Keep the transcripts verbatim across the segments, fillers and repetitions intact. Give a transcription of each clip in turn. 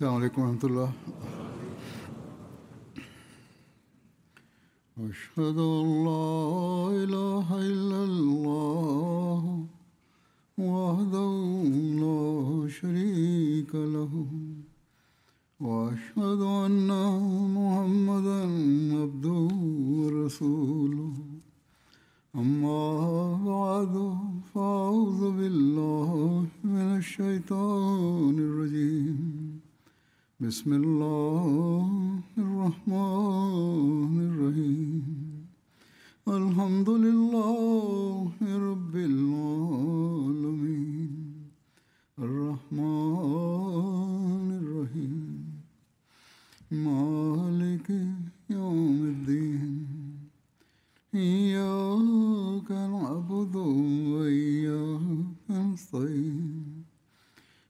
السلام عليكم ورحمة الله. أشهد أن لا إله إلا الله وحده لا شريك له وأشهد أن محمدا عبده ورسوله. أما بعد فأعوذ بالله من الشيطان الرجيم. بسم الله الرحمن الرحيم. الحمد لله رب العالمين الرحمن الرحيم مالك يوم الدين. إياك نعبد وإياك نستعين.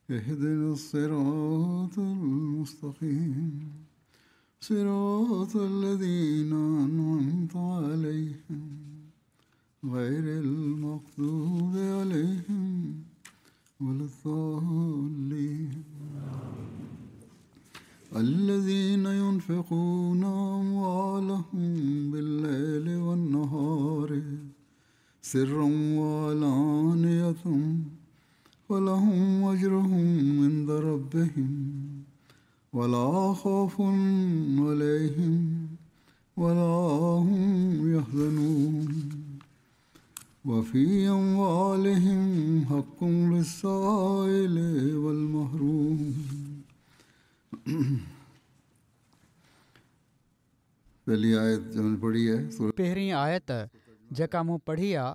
اهدنا الصراط المستقيم صراط الذين أنعمت عليهم غير المغضوب عليهم ولا الضالين. الذين ينفقون أموالهم بالليل والنهار سرا وعلانية فلهم أجرهم عند ربهم ولا خوف عليهم ولا هم يحزنون. وفي أموالهم حق للسائل والمحروم. پهली आयत जो मैंने पढ़ी है, पहिरीं आयत जेका मूं पढ़ी आहे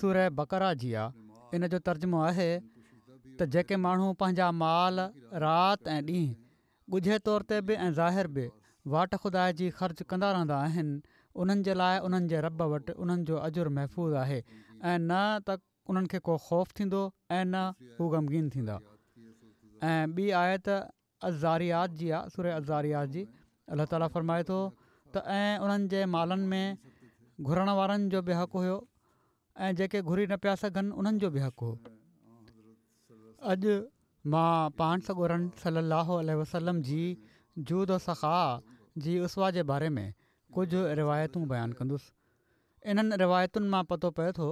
सूरह बकरा जी आहे, इन जो तर्जुमो आहे त जेके माण्हू पंहिंजा माल राति ऐं ॾींहुं ॻुझे तौर ते बि ऐं ज़ाहिर बि वाट ख़ुदा जी ख़र्च कंदा रहंदा आहिनि, उन्हनि जे लाइ उन्हनि जे रब वटि उन्हनि जो अजुर महफ़ूज़ आहे ऐं न त उन्हनि खे को ख़ौफ़ थींदो ऐं न हू ग़मगीन थींदा। ऐं ॿी आयत अज़ारियात जी आहे, सूरह अज़ारियात जी। अलाह ताला फ़रमाए थो त ऐं उन्हनि जे मालनि में घुरण वारनि जो बि हक़ हुयो ऐं जेके घुरी न पिया सघनि उन्हनि जो बि हक़ हो। अॼु मां पाण सॻोरनि सल्लल्लाहु अलैहि वसल्लम जी जूद व सख़ा जी उसवा जे बारे में कुझु रिवायतूं बयानु कंदुसि। इन्हनि रिवायतुनि मां पतो पए थो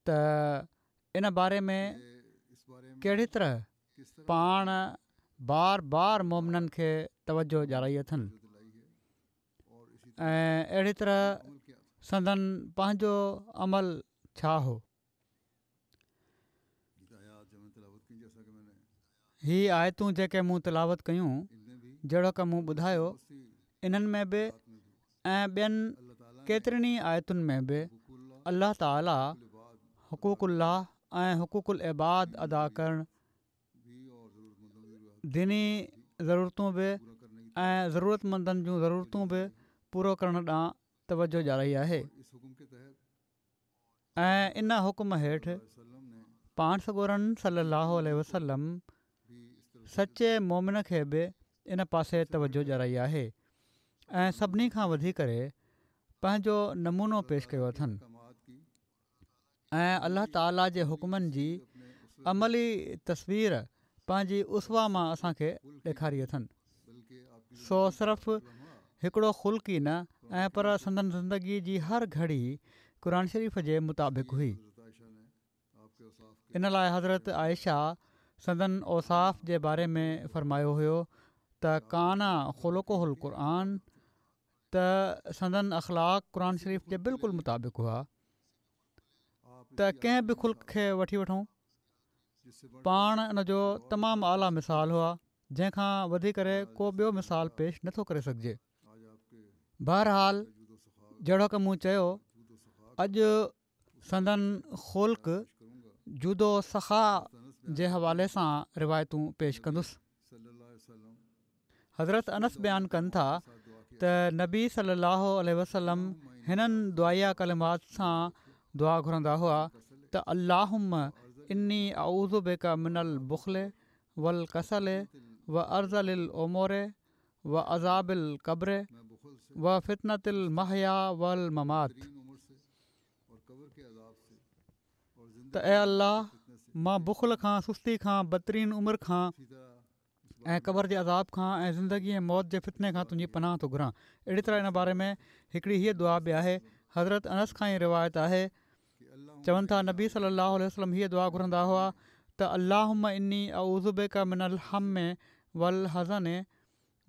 त इन बारे में कहिड़ी तरह पाण बार बार मोमिननि खे तवजो ॾियाराई अथनि ऐं अहिड़ी तरह संदन पंहिंजो अमल छा हो। ही आयतूं जेके मूं तिलावत कयूं, जहिड़ोक मूं ॿुधायो, इन्हनि में बि ऐं ॿियनि केतिरनि ई आयतुनि में बि अलाह ताला हुकूकुल्लाह ऐं हुकूकुल इबाद अदा करणु, दीनी ज़रूरतूं बि ऐं ज़रूरतमंदनि जूं ज़रूरतूं बि पूरो करण ॾांहुं तवजो ॾियाराई आहे। ऐं इन हुकुम हेठि पाण सॻोरनि सल्लल्लाहु अलैहि वसल्लम सचे मोमिन खे बि इन पासे तवजो ॾियाराई आहे ऐं सभिनी खां वधी करे पंहिंजो नमूनो पेश कयो अथनि ऐं अलाह ताला जे हुकुमनि जी अमली तस्वीर पंहिंजी उसवा मां असांखे ॾेखारी अथनि। सो सिर्फ़ हिकिड़ो ख़ुल्क़ ई न ऐं पर संदन ज़िंदगी जी हर घड़ी क़ुरान शरीफ़ जे मुताबिक़ हुई। इन लाइ हज़रत आयशा संदन औसाफ़ जे बारे में फ़रमायो हुयो त काना ख़ुलुक़ुहुल क़ुरान, त संदन अख़लाक़ क़ुरान शरीफ़ जे बिल्कुलु मुताबिक़ हुआ। त कंहिं बि ख़ुल्क़ खे वठी वठूं, पाण इन जो तमामु आला मिसाल हुआ, जंहिंखां वधी करे को ॿियो मिसाल पेश नथो करे सघिजे। बहरहाल जहिड़ोक मूं चयो, अॼु संदन ख़ुल्क़ जूदो सख़ा जे हवाले सां रिवायतूं पेश कंदुसि। हज़रत अनस बयानु कनि था त नबी सल्लल्लाहु अलैहि वसल्लम हिननि दुआया कलिमात सां दुआ घुरंदा हुआ त अल्लाहुम्मा इन्नी अऊज़ु बिका मिनल बुख़्ल वल कसल व अर्ज़लिल उमूर व अज़ाबिल क़ब्र व फितनतिल महया वल ममात। त ए अल्लाह, मां बुख़्ल खां, सुस्ती खां, बदतरीन उमिरि खां ۽ قبر جي عذاب کان ۽ زندگي ۽ موت جي فتني کان تنهنجي پناهه ٿو گهران. اهڙي طرح ان باري ۾ هڪڙي هيء دعا به آهي، حضرت انس کان ئي روايت آهي، چون ٿا نبي صلي الله عليه وسلم هيء دعا گهرندا هئا ته اللهم اني اعوذ بڪ من الهم والحزن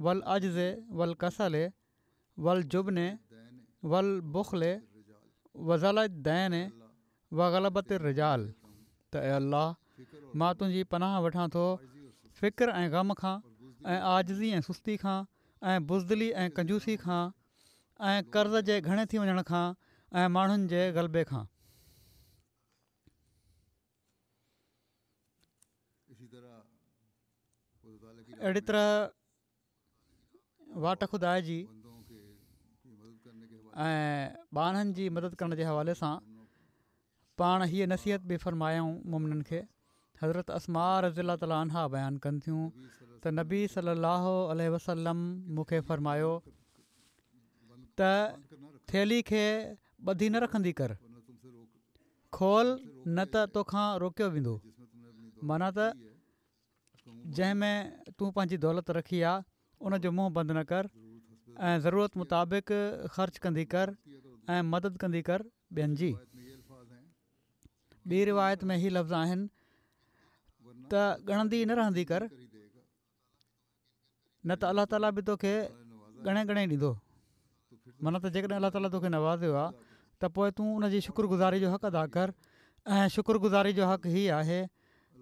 والعجز والڪسل والجبن والبخل وضلع الدين وغلبة الرجال ته اي الله مان تنهنجي پناهه وٺان ٿو فڪر ۽ غم کان ۽ عاجزي ۽ سستي کان ۽ بزدلي ۽ ڪنجوسي کان ۽ قرض جي گهڻي ٿي وڃڻ کان ۽ ماڻهن جي غلبي کان. اهڙي طرح واٽ خدا جي ۽ ٻانهن جي مدد ڪرڻ جي حوالي سان پاڻ هيء نصيحت به فرمايائون مومنن کي. حضرت اسماء رضي الله تعالٰي عنها بيان ڪن ٿيون ته نبي صلي الله عليه وسلم مون کي فرمايو ته ٿيلهي کي ٻڌي نه رکندي ڪر، کول نه ته توکان روڪيو ويندو. معنيٰ ته جنهن ۾ تون پنهنجي دولت رکي آ ان جو منهن بند نه ڪر ۽ ضرورت مطابق خرچ ڪندي ڪر ۽ مدد ڪندي ڪر ٻين جي. ٻي روايت ۾ هي لفظ آهن ته ڳڻندي نه رهندي ڪر نه ته الله تعاليٰ به توکي ڳڻي ڳڻي ڏيندو. معنيٰ ته جيڪڏهن الله تعاليٰ توکي نوازيو آ ته پوء تون ان جي شڪر گذاري جو حق ادا ڪر ۽ شڪر گذاري جو حق هي آهي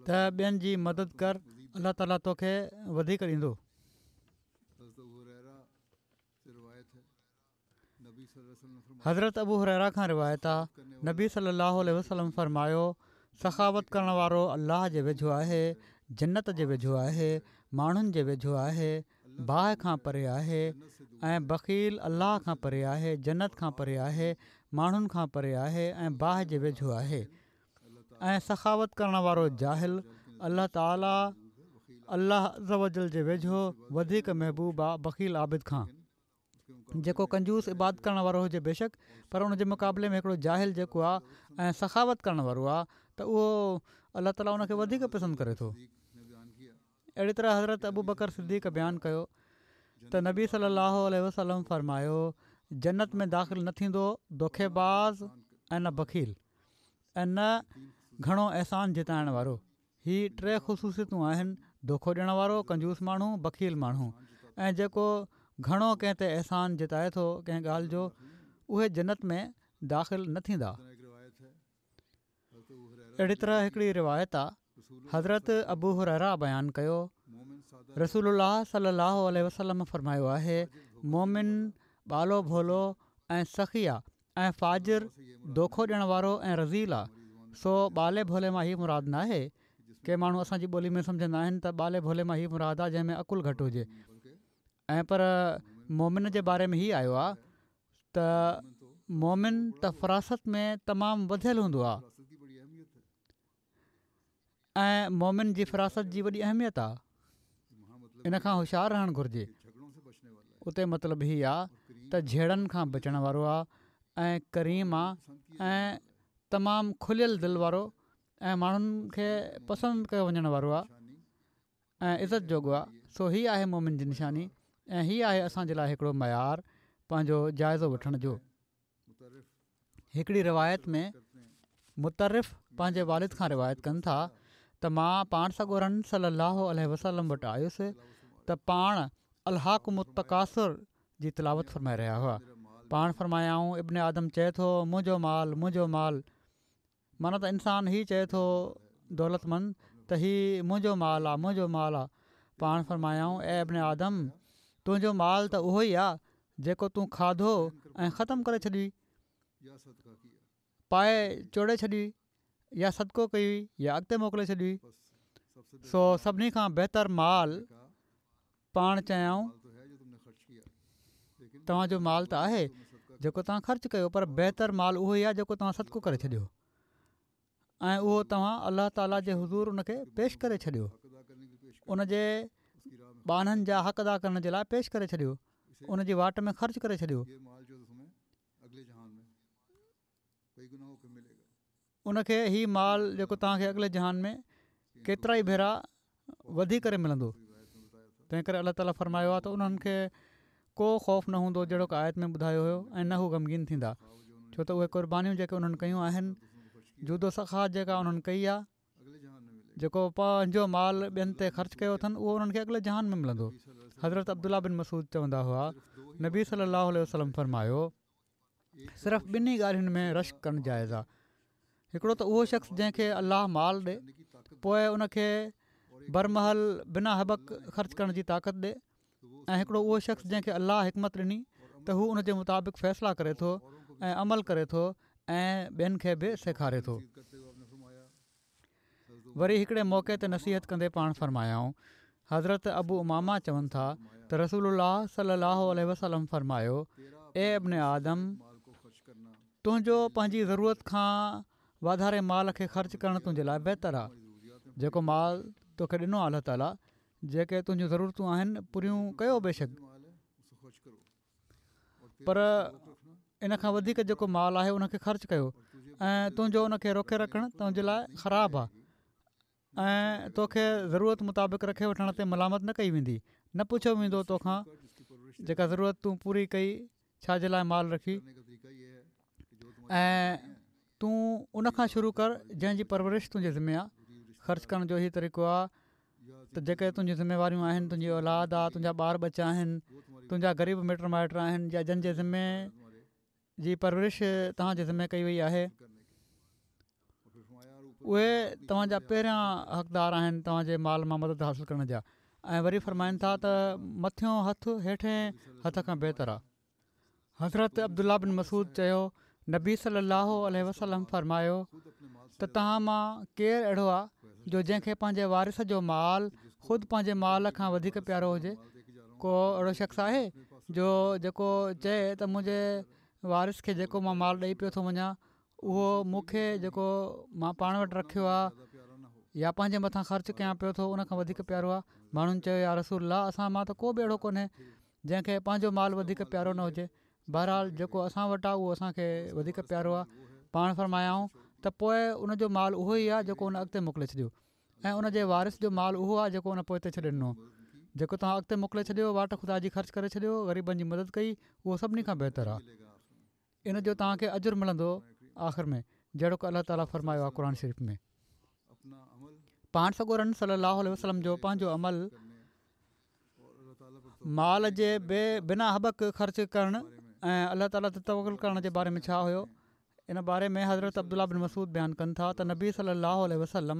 ته ٻين جي مدد ڪر، الله تعاليٰ توکي وڌيڪ ڏيندو. حضرت ابو هريره کان روايت آ نبي صلي الله عليه وسلم فرمايو سخاوت ڪرڻ وارو الله جي ويجهو آهي، جنت جي ويجهو آهي، ماڻهن جي ويجهو آهي، باهه کان پري آهي ۽ بخيل الله کان پري آهي، جنت کان پري آهي، ماڻهن کان پري آهي ۽ باهه جي ويجهو آهي ۽ سخاوت ڪرڻ وارو جاهل الله تعالي الله عزّوجلّ جي ويجهو وڌيڪ محبوب آ بخيل عابد کان. جيڪو ڪنجوس عبادت ڪرڻ وارو هجي بيشڪ پر ان جي مقابلي ۾ هڪڙو جاهل جيڪو آ ۽ سخاوت ڪرڻ وارو آ ته اهو الله تعالي ان کي وڌيڪ پسند ڪري ٿو. اهڙي طرح حضرت ابوبڪر صديق بيان ڪيو ته نبي صلي الله عليه وسلم فرمايو جنت ۾ داخل نه ٿيندو دوکيباز ۽ نه بخيل ۽ نه گهڻو احسان جتائڻ وارو. هي ٽي خصوصيتون آهن، دوکو ڏيڻ وارو، ڪنجوس ماڻهو، بخيل ماڻهو ۽ جيڪو گهڻو ڪنهن تي احسان جتائي ٿو ڪنهن ڳالهه جو، اهي جنت ۾ داخل نه ٿيندا. اهڙي طرح هڪڙي روايت آ، حضرت ابو هريره بيان ڪيو، رسول الله صلي الله عليه وسلم فرمايو آهي، مؤمن ٻالو ڀولو ۽ سخي آ ۽ فاجر دوکو ڏيڻ وارو ۽ رذيل آ، سو ٻالي ڀولي مان هي مراد ناهي، ڪي ماڻهو اسان جي ٻولي ۾ سمجهندا آهن ته ٻالي ڀولي مان هي مراد آ جنهن ۾ عقل گهٽ هجي ۽ پر مؤمن جي باري ۾ هي آيو آ ته مؤمن ته فراست ۾ تمام وڌيل هوندو آ. ۽ مؤمن جي فراست جي وڏي اهميت آ ان کان هوشيار رهڻ گهرجي. اتي مطلب هي آ ته جهيڙن کان بچڻ وارو آ ۽ ڪريم آ ۽ تمام کليل دل وارو ۽ ماڻهن کي پسند ڪيو وڃڻ وارو آ ۽ عزت جوڳو آ سو هي آهي مؤمن جي نشاني ۽ هي آهي اسان جي لاء هڪڙو معيار پنهنجو جائزو وٺڻ جو. هڪڙي روايت ۾ مطرف پنهنجي والد کان روايت ڪن ٿا ته مان پاڻ سڳورن صلي الله عليه وسلم وٽ آيس ته پاڻ الهاڪم التڪاثر جي تلاوت فرمائي رهيا هئا پاڻ فرمايائون ابن آدم چئي ٿو منهنجو مال منهنجو مال معنيٰ ته انسان هي چئي ٿو دولتمند ته هي منهنجو مال آ منهنجو مال آ پاڻ فرمايائون اي ابن آدم تنهنجو مال ته اهو ئي آ جيڪو تون کاڌو ۽ ختم ڪري ڇڏيئي پائي چوڙي ڇڏيئي يا صدقو ڪيئي يا اڳتي موڪلي ڇڏيئي سو سڀني کان بهتر مال پاڻ چيائون توهان جو مال ته آهي جيڪو توهان خرچ ڪيو پر بهتر مال اهو ئي آهي جيڪو توهان صدقو ڪري ڇڏيو ۽ اهو توهان الله تعالي جي حضور ان کي پيش ڪري ڇڏيو ان جي ٻانهن جا حق ادا ڪرڻ جي لاء پيش ڪري ڇڏيو ان جي واٽ ۾ خرچ ڪري ڇڏيو ان کي هي مال جيڪو توهان کي اڳلي جهان ۾ ڪيترائي ڀيرا وڌي ڪري ملندو. تنهن ڪري الله تعاليٰ فرمايو آهي ته انهن کي ڪو خوف نه هوندو جهڙوڪ آيت ۾ ٻڌايو هيو ۽ نه هو غمگين ٿيندا، ڇو ته اهي قربانيون جيڪي انهن ڪيون آهن، جود و سخا جيڪا انهن ڪئي آهي، جيڪو پنهنجو مال ٻين تي خرچ ڪيو اٿن، اهو انهن کي اڳلي جهان ۾ ملندو. حضرت عبدالله بن مسعود چوندا هئا، نبي صلي الله عليه وسلم فرمايو، صرف ٻنهي ڳالهين ۾ رشڪ ڪرڻ جائز آهي، هڪڙو ته اهو شخص جنهن کي الله مال ڏي پوء ان کي برمحل بنا هٻڪ خرچ ڪرڻ جي طاقت ڏي، ۽ هڪڙو اهو شخص جنهن کي الله حڪمت ڏني ته هو ان جي مطابق فيصلا ڪري ٿو ۽ عمل ڪري ٿو ۽ ٻين کي به سيکاري ٿو. وري هڪڙي موقعي تي نصيحت ڪندي پاڻ فرمايائون، حضرت ابو امامه چون ٿا ته رسول الله صلي الله عليه وسلم فرمايو، اي ابن آدم! تنهنجو پنهنجي ضرورت کان واڌاري مال کي خرچ ڪرڻ تنهنجي لاء بهتر آهي. جيڪو مال توکي ڏنو آهي الله تعاليٰ جيڪي تنهنجون ضرورتون آهن پوريون ڪيو بيشڪ، پر ان کان وڌيڪ جيڪو مال آهي ان کي خرچ ڪيو ۽ تنهنجو ان کي روڪي رکڻ تنهنجي لاء خراب آهي ۽ توکي ضرورت مطابق رکي وٺڻ تي ملامت نه ڪئي ويندي، نه پڇيو ويندو توکان جيڪا ضرورت تون پوري ڪئي ڇا جي لاء مال رکي، ۽ تون ان کان شروع ڪر جنهن جي پرورش تنهنجي ذمي آهي. خرچ ڪرڻ جو هي طريقو آهي ته جيڪي تنهنجون ذميواريون آهن، تنهنجي اولاد آهي، تنهنجا ٻار ٻچا آهن، تنهنجا غريب مٽ مائٽ آهن يا جن جي ذمي جي پرورش توهان جي ذمي ڪئي وئي آهي، اهي توهان جا پهريان حقدار آهن توهان جي مال مان مدد حاصل ڪرڻ جا. ۽ وري فرمائن ٿا ته مٿيون هٿ هيٺين هٿ کان بهتر آهي. حضرت عبدالله بن مسعود چيو، نبي صلي الله عليه وسلم فرمايو ته توهان مان ڪير اهڙو آهي جو جنهن کي پنهنجي وارث جو مال خود پنهنجي مال کان وڌيڪ پيارو هجي؟ ڪو اهڙو شخص آهي جو جيڪو چئي ته منهنجي وارث کي جيڪو مان مال ڏئي پيو ٿو وڃان اهو مون کي جيڪو مان پاڻ وٽ رکيو آهي يا پنهنجي مٿان خرچ ڪيان پيو ٿو ان کان وڌيڪ پيارو آهي؟ ماڻهن چيو يا رسول الله اسان مان ته ڪو به اهڙو ڪونهي جنهن کي پنهنجو مال وڌيڪ پيارو نه هجي، بهرحال جيڪو اسان وٽ آهي اهو اسان کي وڌيڪ پيارو آهي. پاڻ فرمايائون ته پوء ان جو مال اهو ئي آهي جيڪو ان اڳتي موڪلي ڇڏيو ۽ ان جي وارث جو مال اهو آهي جيڪو ان پوئتي ڇڏي ڏنو. جيڪو توهان اڳتي موڪلي ڇڏيو، واٽ خدا جي خرچ ڪري ڇڏيو، غريبن جي مدد ڪئي، اهو سڀني کان بهتر آهي. ان جو توهان کي اجر ملندو آخر ۾ جهڙوڪ الله تعاليٰ فرمايو آهي قرآن شريف ۾. پاڻ سڳورن صلي الله عليه وسلم جو پنهنجو عمل مال جي بي بنا هٻڪ خرچ ڪرڻ ۽ الله تعاليٰ تي توڪل ڪرڻ جي باري ۾ ڇا هيو؟ ان باري ۾ حضرت عبدالله بن مسعود بيان ڪن ٿا ته نبي صلي الله عليه وسلم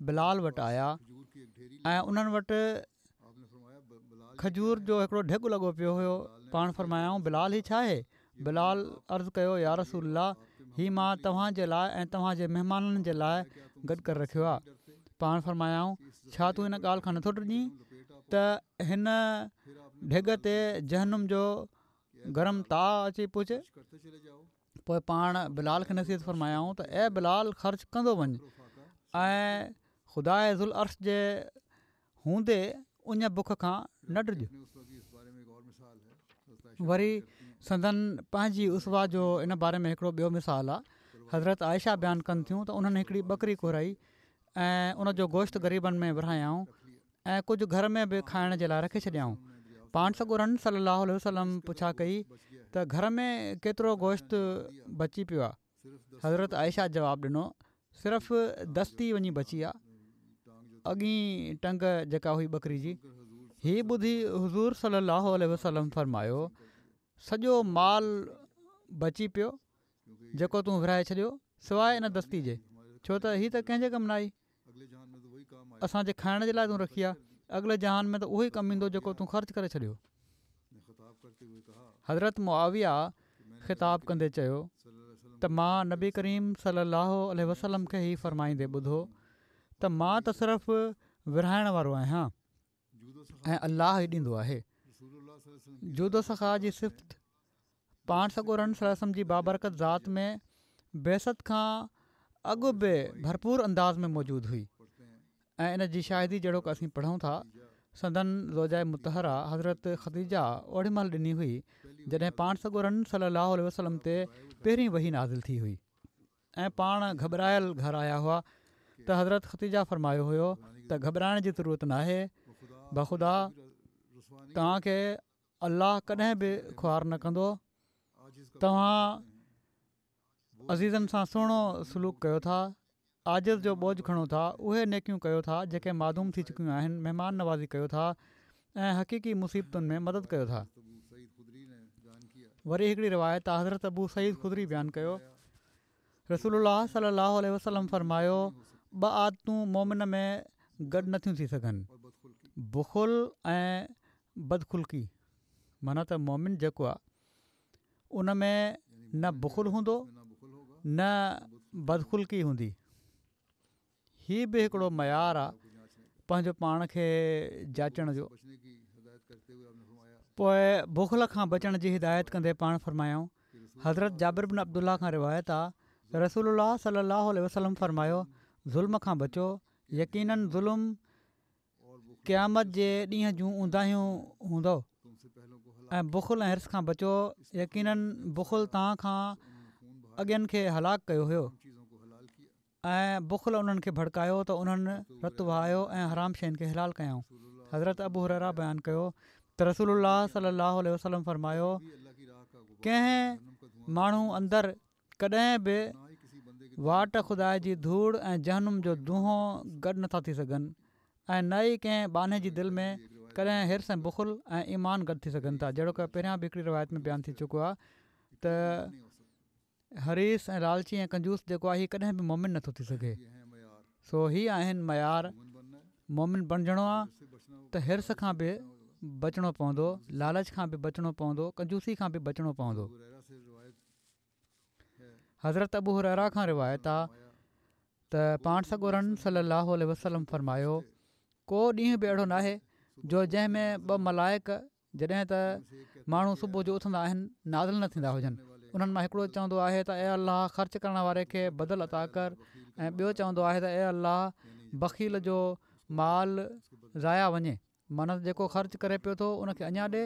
بلال وٽ آيا ۽ انهن وٽ کجور جو هڪڙو ڍڳ لڳو پيو هيو. پاڻ فرمايائون بلال هي ڇا آهي؟ بلال عرض ڪيو يا رسول الله هي مان توهان جي لاء ۽ توهان جي مهمانن جي لاء گڏ ڪري رکيو آهي. پاڻ فرمايائون ڇا تون ان ڳالهه کان نٿو ڊڄين ته هن ڍڳ تي جهنم جو گرم تاء اچي پهچي؟ پوء پاڻ بلال کي نصيحت فرمايائون ته اي بلال خرچ ڪندو وڃ ۽ خداء ذوالعرش جي هوندي اڃ بک کان نه ڊڄ. وري سندن پنهنجي اسوه جو ان باري ۾ هڪڙو ٻيو مثال آهي. حضرت عائشه بيان ڪن ٿيون ته انهن هڪڙي ٻڪري گهرائي ۽ ان جو گوشت غريبن ۾ ورهايائون ۽ ڪجهه گهر ۾ به کائڻ جي لاء رکي ڇڏيائون. پاڻ سڳورن صلي الله عليه وسلم پڇا ڪئي ته گهر ۾ ڪيترو گوشت بچي پيو آهي؟ حضرت عائشه جواب ڏنو صرف دستي وڃي بچي آ، اڳين ٽنگ جيڪا هئي ٻڪري جي. هي ٻڌي حضور صلي الله عليه وسلم فرمايو سڄو مال بچي پيو جيڪو تون ورهائي ڇڏيو سواء ان دستي جي ڇو ته هي ته ڪنهن جي ڪم نه آئي. اسان جي کائڻ جي لاء تون رکي آ، اڳلي جهان ۾ ته اهو ئي ڪم ايندو جيڪو تون خرچ ڪري ڇڏيو. حضرت معاويه خطاب ڪندي چيو ته مان نبي ڪريم صلي الله عليه وسلم کي هي فرمائيندي ٻڌو ته مان ته صرف ورهائڻ وارو آهيان ۽ الله ئي ڏيندو آهي. جود و سخا جي صفت پاڻ سڳورن صلي الله عليه وسلم جي بابرڪت ذات ۾ بعثت کان اڳ به ڀرپور انداز ۾ موجود هئي ۽ ان جي شاهدي جهڙوڪ اسين پڙهون ٿا سندن زوجه مطهره حضرت خديجه اوڏي مهل ڏني هئي جڏهن پاڻ سڳورن صلي الله عليه وسلم تي پهرين وحي نازل ٿي هئي ۽ پاڻ گهٻرايل گهر آيا هئا ته حضرت خديجه فرمايو هيو ته گهٻرائڻ جي ضرورت ناهي بخدا توهان کي الله ڪڏهن به خوار نه ڪندو. توهان عزيزن سان سهڻو سلوڪ ڪيو ٿا، عاجز جو بوجه کڻو ٿا، اهي نيڪيون ڪيو ٿا جيڪي معدوم ٿي چڪيون آهن، مهمان نوازي ڪيو ٿا ۽ حقيقي مصيبتن ۾ مدد ڪيو ٿا. وري هڪڙي روايت حضرت ابو سعيد خدري بيان ڪيو، رسول الله صلي الله عليه وسلم فرمايو، ٻه عادتون مومن ۾ گڏ نٿيون ٿي سگهن، بخل ۽ بدخلقي. معنيٰ ته مومن جيڪو آهي ان ۾ نه بخل هوندو نه بدخلقي هوندي. هي به هڪڙو معيار آهي پنهنجو پاڻ کي جاچڻ جو. پوءِ بخل کان بچڻ جي هدايت ڪندي پاڻ فرمايائون، حضرت جابر بن عبدالله کان روايت آ ته رسول الله صلي الله عليه وسلم فرمايو، ظلم کان بچو، يقيناً ظلم قيامت جي ڏينهن جون اونداهيون هوندو، ۽ بخل ۽ حرص کان بچو، يقيناً بخل توهان کان اڳين کي هلاڪ ڪيو هيو ۽ بخل انهن کي ڀڙڪايو ته انهن رت وهايو ۽ حرام شين کي حلال ڪيائون. حضرت ابو هريره بيان ڪيو ته رسول الله صلي الله عليه وسلم فرمايو، ڪنهن ماڻهو اندر ڪڏهن به واٽ خدا جي ڌوڙ ۽ جهنم جو دونهون گڏ نٿا ٿي سگهن ۽ نه ئي ڪنهن ٻانهي جي دل ۾ ڪڏهن حرص ۽ بخل ۽ ايمان گڏ ٿي سگهن ٿا. جهڙوڪ پهريان به هڪڙي روايت ۾ بيان ٿي چڪو آهي ته حريص ۽ لالچي ۽ ڪنجوس جيڪو آهي هي ڪڏهن به مومن نٿو ٿي سگهي. سو هي آهن معيار. مومن بڻجڻو آهي ته حرص کان به بچڻو پوندو، لالچ کان به بچڻو پوندو، ڪنجوسي کان به بچڻو پوندو. حضرت ابو هريره کان روايت آ ته پاڻ سڳورن صلي الله عليه وسلم فرمايو، ڪو ڏينهن به اهڙو ناهي جو جنهن ۾ ٻه ملائڪ جڏهن ته ماڻهو صبح جو اٿندا آهن نازل نه ٿيندا هجن. انهن مان هڪڙو چوندو آهي ته اي الله خرچ ڪرڻ واري کي بدل عطا ڪر، ۽ ٻيو چوندو آهي ته اي الله بخيل جو مال ضايع وڃي. معنيٰ ته جيڪو خرچ ڪري پيو ٿو ان کي اڃا ڏي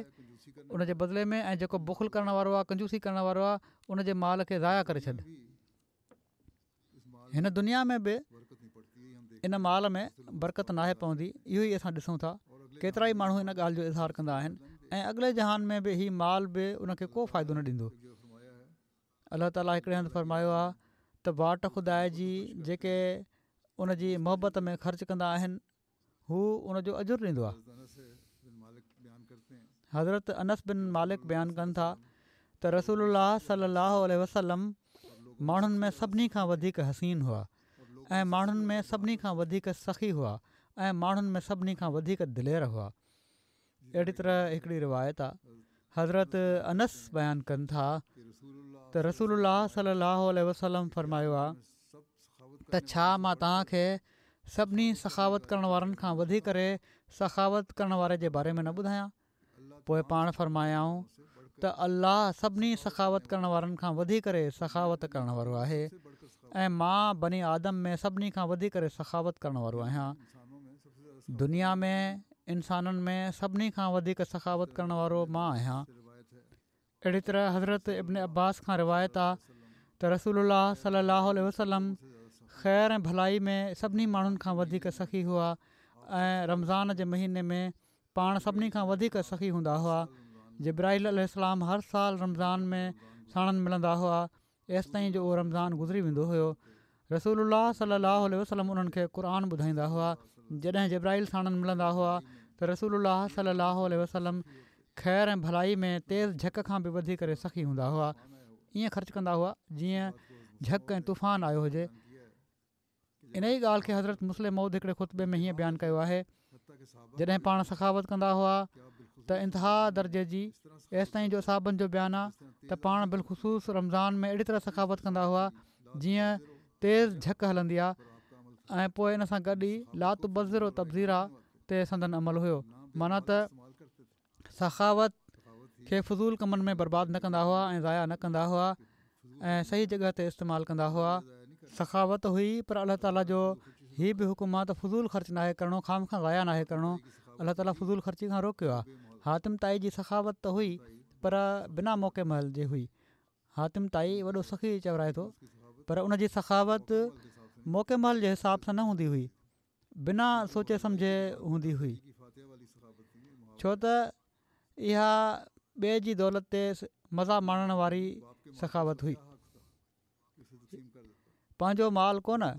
ان جي بدلي ۾، ۽ جيڪو بخل ڪرڻ وارو آهي، ڪنجوسي ڪرڻ وارو آهي، ان جي مال کي ضايع ڪري ڇڏ. هن دنيا ۾ به ان مال ۾ برڪت ناهي پوندي. اهو ئي اسان ڏسون ٿا، ڪيترائي ماڻهو ان ڳالهه جو اظهار ڪندا آهن، ۽ اڳلي جهان ۾ به هي مال به ان کي ڪو فائدو نه ڏيندو. الله تعاليٰ هڪڙي هنڌ فرمايو آهي ته واٽ خدا جي جيڪي ان جي محبت ۾ خرچ ڪندا آهن هو ان جو اجر ڏيندو آهي. حضرت انس بن مالڪ بيان ڪن ٿا ته رسول الله صلي الله عليه وسلم ماڻهن ۾ سڀني کان وڌيڪ حسين هئا ۽ ماڻهن ۾ سڀني کان وڌيڪ سخي هئا ۽ ماڻهن ۾ سڀني کان وڌيڪ دلير هئا. اهڙي طرح هڪڙي روايت آهي، حضرت انس بيان ڪن ٿا ته رسول الله صلي الله عليه وسلم فرمايو آهي ته ڇا مان توهان کي سڀني سخاوت ڪرڻ وارن کان وڌي ڪري سخاوت ڪرڻ واري جي باري ۾ نه ٻڌايان؟ پوءِ پاڻ فرمايائون ته الله سڀني سخاوت ڪرڻ وارن کان وڌي ڪري سخاوت ڪرڻ وارو آهي ۽ مان بني آدم ۾ سڀني کان وڌي ڪري سخاوت ڪرڻ وارو آهيان. دنيا ۾ انسانن ۾ سڀني کان وڌيڪ سخاوت ڪرڻ وارو مان آهيان. اهڙي طرح حضرت ابن عباس کان روايت آ ته رسول الله صلي الله عليه وسلم خير ۽ ڀلائي ۾ سڀني ماڻهن کان وڌيڪ سخي هئا ۽ رمضان جي مهيني ۾ پاڻ سڀني کان وڌيڪ سخي هوندا هئا. جبرائيل عليه السلام هر سال رمضان ۾ ساڻن ملندا هئا ايستائين جو اهو رمضان گذري ويندو هيو. رسول الله صلي الله عليه وسلم انهن کي قرآن ٻڌائيندا هئا. جڏهن جبرائيل ساڻن ملندا هئا ته رسول الله صلي الله عليه وسلم خير ۽ ڀلائي ۾ تيز جهڪ کان به وڌي ڪري سخي هوندا هئا. ائين خرچ ڪندا هئا جيئن جهڪ ۽ طوفان آيو هجي. ان ئي ڳالهه کي حضرت مصلح موعود هڪڙي خطبي ۾ هيئن بيان ڪيو آهي، جڏهن پاڻ سخاوت ڪندا هئا ته انتها درجي جي، ايستائين جو اصحابن جو بيان آ ته پاڻ بالخصوص رمضان ۾ اهڙي طرح سخاوت ڪندا هئا جيئن تيز جهڪ هلندي آ، ۽ پوءِ ان سان گڏ ئي لا تبذروا تبذيرا تي سندن عمل هيو. معنيٰ ته سخاوت کي فضول ڪمن ۾ برباد نه ڪندا هئا ۽ ضايع نه ڪندا هئا ۽ صحيح جڳهه تي استعمال ڪندا هئا. سخاوت هئي پر الله تعاليٰ جو هي به حڪم آ ته فضول خرچ ناهي ڪرڻو، خوامخواه ضايع ناهي ڪرڻو. الله تعاليٰ فضول خرچي کان روڪيو آ. حاتم طائي جي سخاوت ته هئي پر بنا موقعي مهل جي هئي. حاتم طائي وڏو سخي چورائي ٿو پر ان جي سخاوت موقعي مهل جي حساب سان نه هوندي هئي، بنا سوچي سمجهي هوندي هئي. ڇو ته اها ٻئي جي دولت تي مزا ماڻڻ واري سخاوت هئي. پنهنجو مال ڪونه،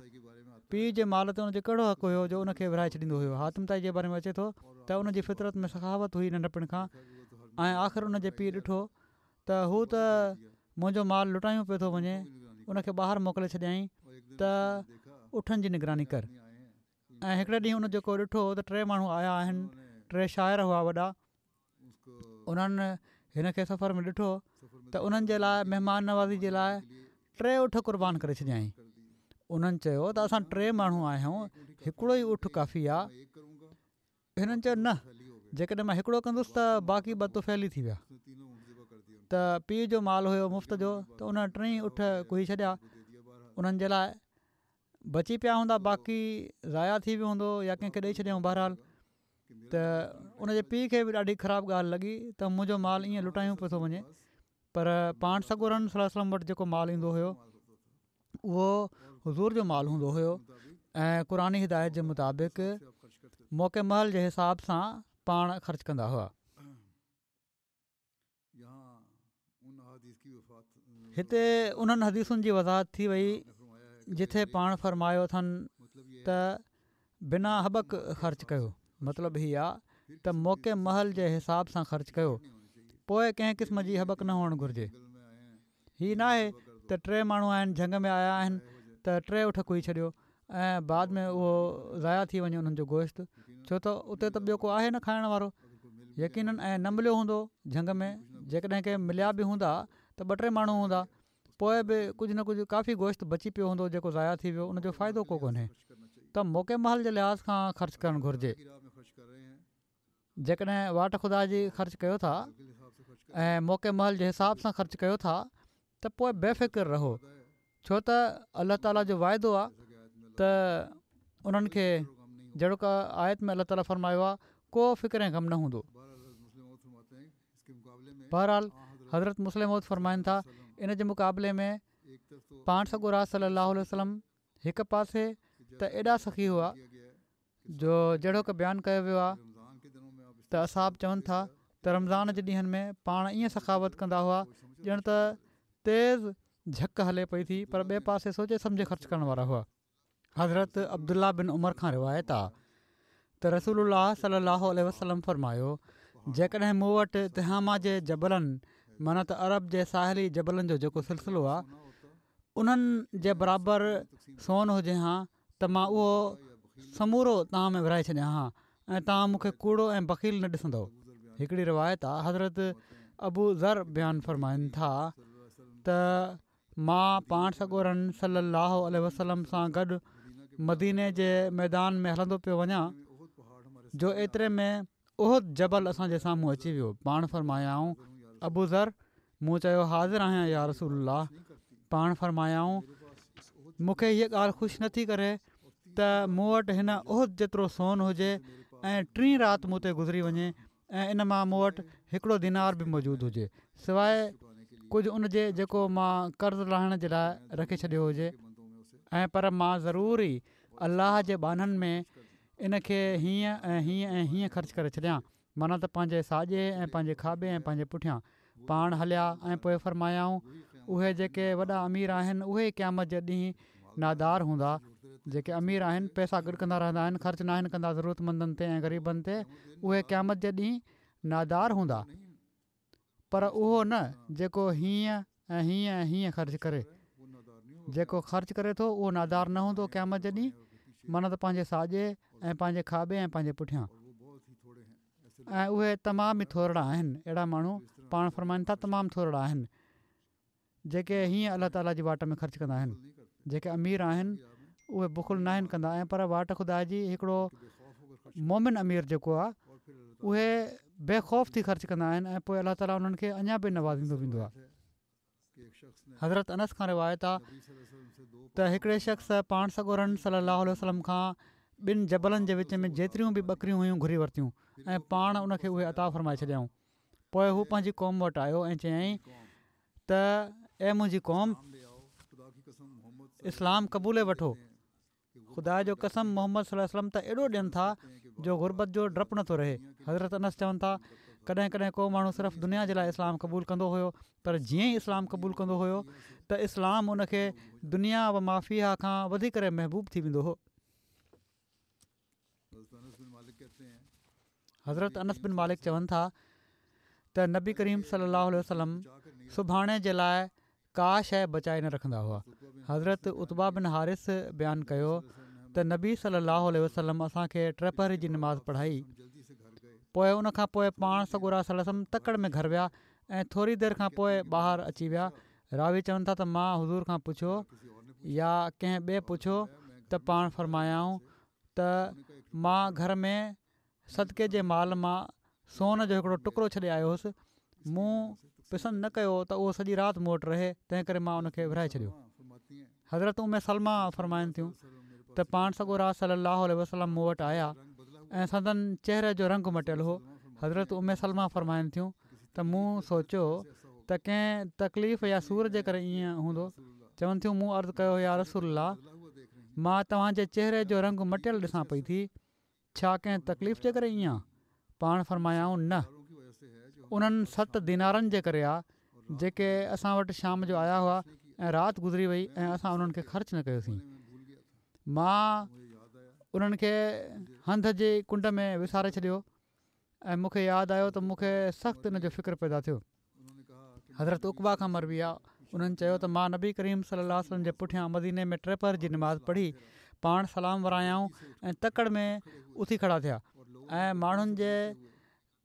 پيء جي مال تي ان جو ڪهڙو حق هيو جو ان کي ورهائي ڇڏيندو هيو. حاتم طائي جي باري ۾ اچي ٿو ته ان جي فطرت ۾ سخاوت هئي ننڍپڻ کان، ۽ آخر ان جي پيء ڏٺو ته هو ته منهنجو مال لٽايون پيو ٿو وڃي، ان کي ٻاهر موڪلي ڇڏيائين ته اٺن جي نگراني ڪر. ۽ هڪڙي ڏينهن ان جيڪو ڏٺو ته ٽي ماڻهو آيا آهن، ٽي شاعر هئا وڏا، انهن هن کي سفر ۾ ڏٺو ته انهن جي لاء مهمان نوازي جي لاء ٽي اٺ قربان ڪري ڇڏيائين. انهن چيو ته اسان ٽي ماڻهو آهيون، هڪڙو ئي اٺ ڪافي آ. هنن چيو نه، جيڪڏهن مان هڪڙو ڪندس ته باقي ٻه طفيلي ٿي ويا. ته پيء جو مال هيو مفت جو، ته انهن ٽئي اٺ ڪهي ڇڏيا انهن جي لاء، بچي پيا هوندا، باقي ضايع ٿي ويو هوندو يا ڪنهن کي ڏئي ڇڏيائون. بهرحال ته ان جي پيء کي به ڏاڍي خراب ڳالهه لڳي ته منهنجو مال ائين لٽايون پيو ٿو وڃي. پر پاڻ سڳورن صلي الله عليه وسلم وٽ جيڪو مال ايندو هيو اهو حضور جو مال هوندو هيو ۽ قرآني هدايت جي مطابق موقعي مهل جي حساب سان پاڻ خرچ ڪندا هئا. هتي انهن حديثن جي وضاحت ٿي وئي جٿي پاڻ فرمايو اٿن ته بنا هٻڪ خرچ ڪيو، مطلب هي آ ته موقعي مهل جي حساب سان خرچ ڪيو، پوء ڪنهن قسم جي هٻڪ نه هئڻ گهرجي. هي ناهي ته ٽي ماڻهو آهن جهنگ ۾ آيا آهن ته ٽي اٺ ڪهي ڇڏيو ۽ بعد ۾ اهو ضايع ٿي وڃي انهن جو گوشت، ڇو ته اتي ته ٻيو ڪو آهي نه کائڻ وارو يقينن، ۽ نه مليو هوندو جهنگ ۾، جيڪڏهن ڪي مليا به هوندا ته ٻه ٽي ماڻهو هوندا، پوء به ڪجهه نه ڪجهه ڪافي گوشت بچي پيو هوندو جيڪو ضايع ٿي ويو، ان جو فائدو ڪو ڪونهي. ته موقعي مهل جي لحاظ کان خرچ ڪرڻ گهرجي. جيڪڏهن واٽ خدا جي خرچ ڪيو ٿا ۽ موقعي مهل جي حساب سان خرچ ڪيو ٿا ته پوء بي فڪر رهو، ڇو ته الله تعاليٰ جو واعدو آهي ته انهن کي جهڙوڪ آيت ۾ الله تعاليٰ فرمايو آهي ڪو فڪر ۽ غم نه هوندو. بهرحال حضرت مصلح موعود فرمائن ٿا ان جي مقابلي ۾ پاڻ سڳورا صلي الله عليه وسلم هڪ پاسي ته ايڏا سخي هئا جو جهڙوڪ بيان ڪيو ويو آهي ته اصحاب چون ٿا ته رمضان جي ڏينهن ۾ پاڻ ائين سخاوت ڪندا هئا ڄڻ ته تيز جهڪ هلي پئي ٿي، پر ٻئي پاسي سوچي سمجهي خرچ ڪرڻ وارا هئا. حضرت عبدالله بن عمر کان روايت آ ته رسول الله صلي الله عليه وسلم فرمايو، جيڪڏهن مون وٽ تهامه جي جبلن معنيٰ ته عرب جي ساحلي جبلن جو جيڪو سلسلو آ انهن جي برابر سون هجي هان ته مان اهو سمورو توهان ۾ ورهائي ڇڏيان هان ۽ توهان مون کي ڪوڙو ۽ بخيل نه ڏسندؤ. هڪڙي روايت آ حضرت ابو ذر بيان فرمائن ٿا ته مان پاڻ سڳورن صلّي اللّٰه عليه وسلّم سان گڏ مديني جي ميدان ۾ هلندو پيو وڃان جو ايتري ۾ احد جبل اسان جي سامهون اچي ويو پاڻ فرمايائون ابو ذر مون چيو حاضر آهيان يا رسول الله پاڻ فرمايائون مون کي هيء ڳالهه خوش نٿي ڪري ته مون وٽ هن احد جيترو سون هجي ۽ ٽين رات مون تي گذري وڃي ۽ ان مان مون وٽ هڪڙو دينار به موجود هجي سواء ڪجهه ان جي جيڪو مان قرض لاهڻ جي لاء رکي ڇڏيو هجي ۽ پر مان ضرور ئي الله جي ٻانهن ۾ ان کي هيئن ۽ هيئن ۽ هيئن خرچ ڪري ڇڏيان معنيٰ ته پنهنجي ساڄي ۽ پنهنجي کاٻي ۽ پنهنجي پٺيان پاڻ هليا ۽ پوء فرمايائون اهي جيڪي وڏا امير آهن اهي ئي قيامت جي ڏينهن نادار هوندا جيڪي امير آهن پئسا گڏ ڪندا رهندا آهن خرچ ناهن ڪندا ضرورتمندن تي ۽ غريبن تي اهي قيامت جي ڏينهن نادار هوندا پر اهو نه جيڪو هيئن ۽ هيئن ۽ هيئن خرچ ڪري جيڪو خرچ ڪري ٿو اهو نادار نه هوندو قيامت جي ڏينهن معنيٰ ته پنهنجي ساڄي ۽ پنهنجي کاٻي ۽ پنهنجي پٺيان ۽ اهي تمام ئي ٿورڙا آهن اهڙا ماڻهو پاڻ فرمائن ٿا تمام ٿورڙا آهن جيڪي هيئن الله تعالي جي واٽ ۾ خرچ ڪندا آهن جيڪي امير آهن اهي بخل ناهن ڪندا ۽ پر واٽ خدا جي هڪڙو مومن امير جيڪو آهي اهي بي خوف ٿي خرچ ڪندا آهن ۽ پوء الله تعالي انهن کي اڃا به نوازيندو ويندو آهي حضرت انس کان روايت آ ته هڪڙي شخص پاڻ سڳورن صلي الله عليه وسلم کان ٻن جبلن جي وچ ۾ جيتريون به ٻڪريون هيون گهري ورتيون ۽ پاڻ ان کي اهي عطا فرمائي ڇڏيائون پوء هو پنهنجي قوم وٽ آيو ۽ چيائين ته اي منهنجي قوم! اسلام قبولي وٺو. خدا جو قسم محمد صلي الله عليه وسلم ته ايڏو ڏين ٿا جو غربت جو ڊپ نٿو رهي. حضرت انس چون ٿا ڪڏهن ڪڏهن ڪو ماڻهو صرف دنيا جي لاءِ اسلام قبول ڪندو هيو پر جيئن ئي اسلام قبول ڪندو هيو ته اسلام ان کي دنيا و ما فيها کان وڌي ڪري محبوب ٿي ويندو هو. حضرت انس بن مالڪ چون ٿا ته نبي ڪريم صلي الله عليه وسلم سڀاڻي جي لاءِ ڪا شيءِ بچائي نه رکندا هئا. حضرت عتبه بن حارث بيان ڪيو ته نبي صلي الله عليه وسلم اسان کي ٽپهري جي نماز پڙهائي، پوءِ ان کان پوءِ پاڻ سڳورا صلي الله عليه وسلم تڪڙ ۾ گهر ويا ۽ ٿوري دير کان پوءِ ٻاهر اچي ويا. راوي چون ٿا ته مان حضور کان پڇيو يا ڪنهن ٻئي پڇيو ته پاڻ فرمايائون ته مان گهر ۾ صدقي جي مال مان سون جو هڪڙو ٽڪرو ڇڏي آيو هوس، مون پسند نه ڪيو ته اهو سڄي رات مون وٽ رهي، تنهن ڪري مان ان کي ورهائي ڇڏيو. حضرت ام سلمه فرمائن ٿيون ته پاڻ سڳورا صلي الله عليه وسلم مون وٽ آيا ۽ سندن چهري جو رنگ مٽيل هو. حضرت ام سلمه فرمائن ٿيون ته مون سوچيو ته ڪنهن تڪليف يا سور جي ڪري ائين هوندو. چون ٿيون مون عرض ڪيو يا رسول الله، مان توهان جي چهري جو رنگ مٽيل ڏسان پئي ٿي، ڇا ڪنهن تڪليف جي ڪري ائين آ؟ پاڻ فرمايائون نه، انهن ست دينارن جي ڪري آ جيڪي اسان وٽ شام جو آيا هئا ۽ رات گذري وئي ۽ اسان انهن کي خرچ نه ڪيوسين. مان انهن کي هنڌ جي ڪنڊ ۾ وساري ڇڏيو ۽ مون کي ياد آيو ته مون کي سخت ان جو فڪر پيدا ٿيو. حضرت عقبه کان مروي آ، انهن چيو ته مان نبي ڪريم صلي الله عليه وسلم جي پٺيان مديني ۾ ٽپهري جي نماز پڙهي، پاڻ سلام ورايائون ۽ تڪڙ ۾ اٿي کڙا ٿيا ۽ ماڻهن جي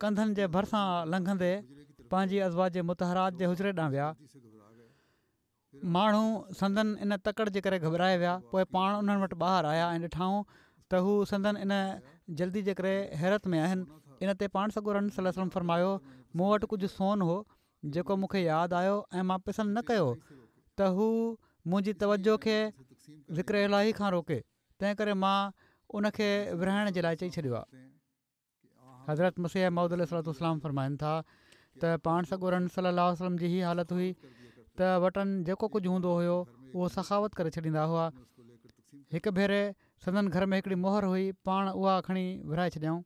ڪنڌن جي ڀرسان لنگهندي پنهنجي ازواج مطهرات جي حجري ڏانهن ويا. ماڻهو سندن ان تڪڙ جي ڪري گهٻرائي ويا. پوءِ پاڻ انهن وٽ ٻاهر آيا ۽ ڏٺائون ته هو سندن ان جلدي جي ڪري حيرت ۾ آهن. ان تي پاڻ سڳورن صلي الله عليه وسلم فرمايو مون وٽ ڪجهه سون هو جيڪو مون کي ياد آيو ۽ مان پسند نه ڪيو ته هو منهنجي توجه کي ذڪر الاهي کان روڪي، تنهن ڪري مان ان کي ورهائڻ جي لاءِ چئي ڇڏيو آهي. حضرت مسيح موعود عليه الصلوة والسلام فرمائن ٿا ته پاڻ سڳورن صلي الله عليه وسلم جي هي حالت هئي ته وٽن جيڪو ڪجهه هوندو هيو اهو سخاوت ڪري ڇڏيندا هئا. هڪ ڀيري سندن گهر ۾ هڪڙي مهر هئي، پاڻ اها کڻي ورهائي ڇڏيائون.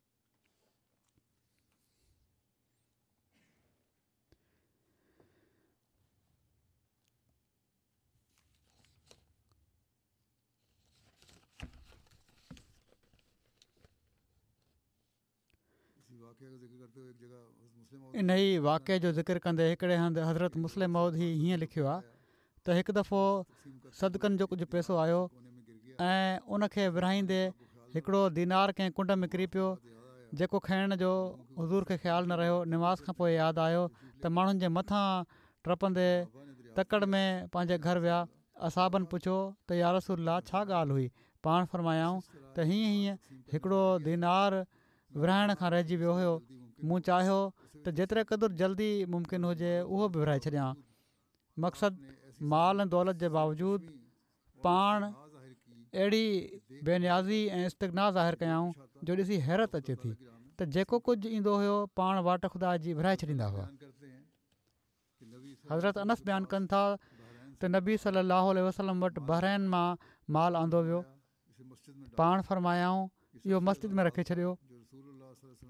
انهيءَ واقعي جو ذڪر ڪندي هڪڙي هنڌ حضرت مصلح موعود هي هيئن لکيو آهي ته هڪ دفعو صدقن جو ڪجهه پئسو آيو ۽ ان کي ورهائيندي هڪڙو دينار ڪنهن ڪنڊ ۾ ڪري پيو، جيڪو کڻڻ جو حضور کي خيال نه رهيو. نماز کان پوءِ ياد آيو ته ماڻهن جي مٿان ٽپندي تڪڙ ۾ پنهنجي گهر ويا. اصحابن پڇيو ته يا رسول الله ڇا ڳالهه هئي؟ پاڻ فرمايائون ته هيئن هيئن هڪڙو دينار ورهائڻ کان رهجي ويو هيو، مون چاهيو ته جيتري قدر جلدي ممڪن هجي اهو به ورهائي ڇڏيان. مقصد مال ۽ دولت جي باوجود پاڻ اهڙي بي نيازي ۽ استغنا ظاهر ڪيائون جو ڏسي حيرت اچي ٿي ته جيڪو ڪجهه ايندو هيو پاڻ واٽ خدا جي ورهائي ڇڏيندا هئا. حضرت انس بيان ڪن ٿا ته نبي صلي الله عليه وسلم وٽ بحرين مان مال آندو ويو، پاڻ فرمايائون اهو مسجد ۾ رکي ڇڏيو.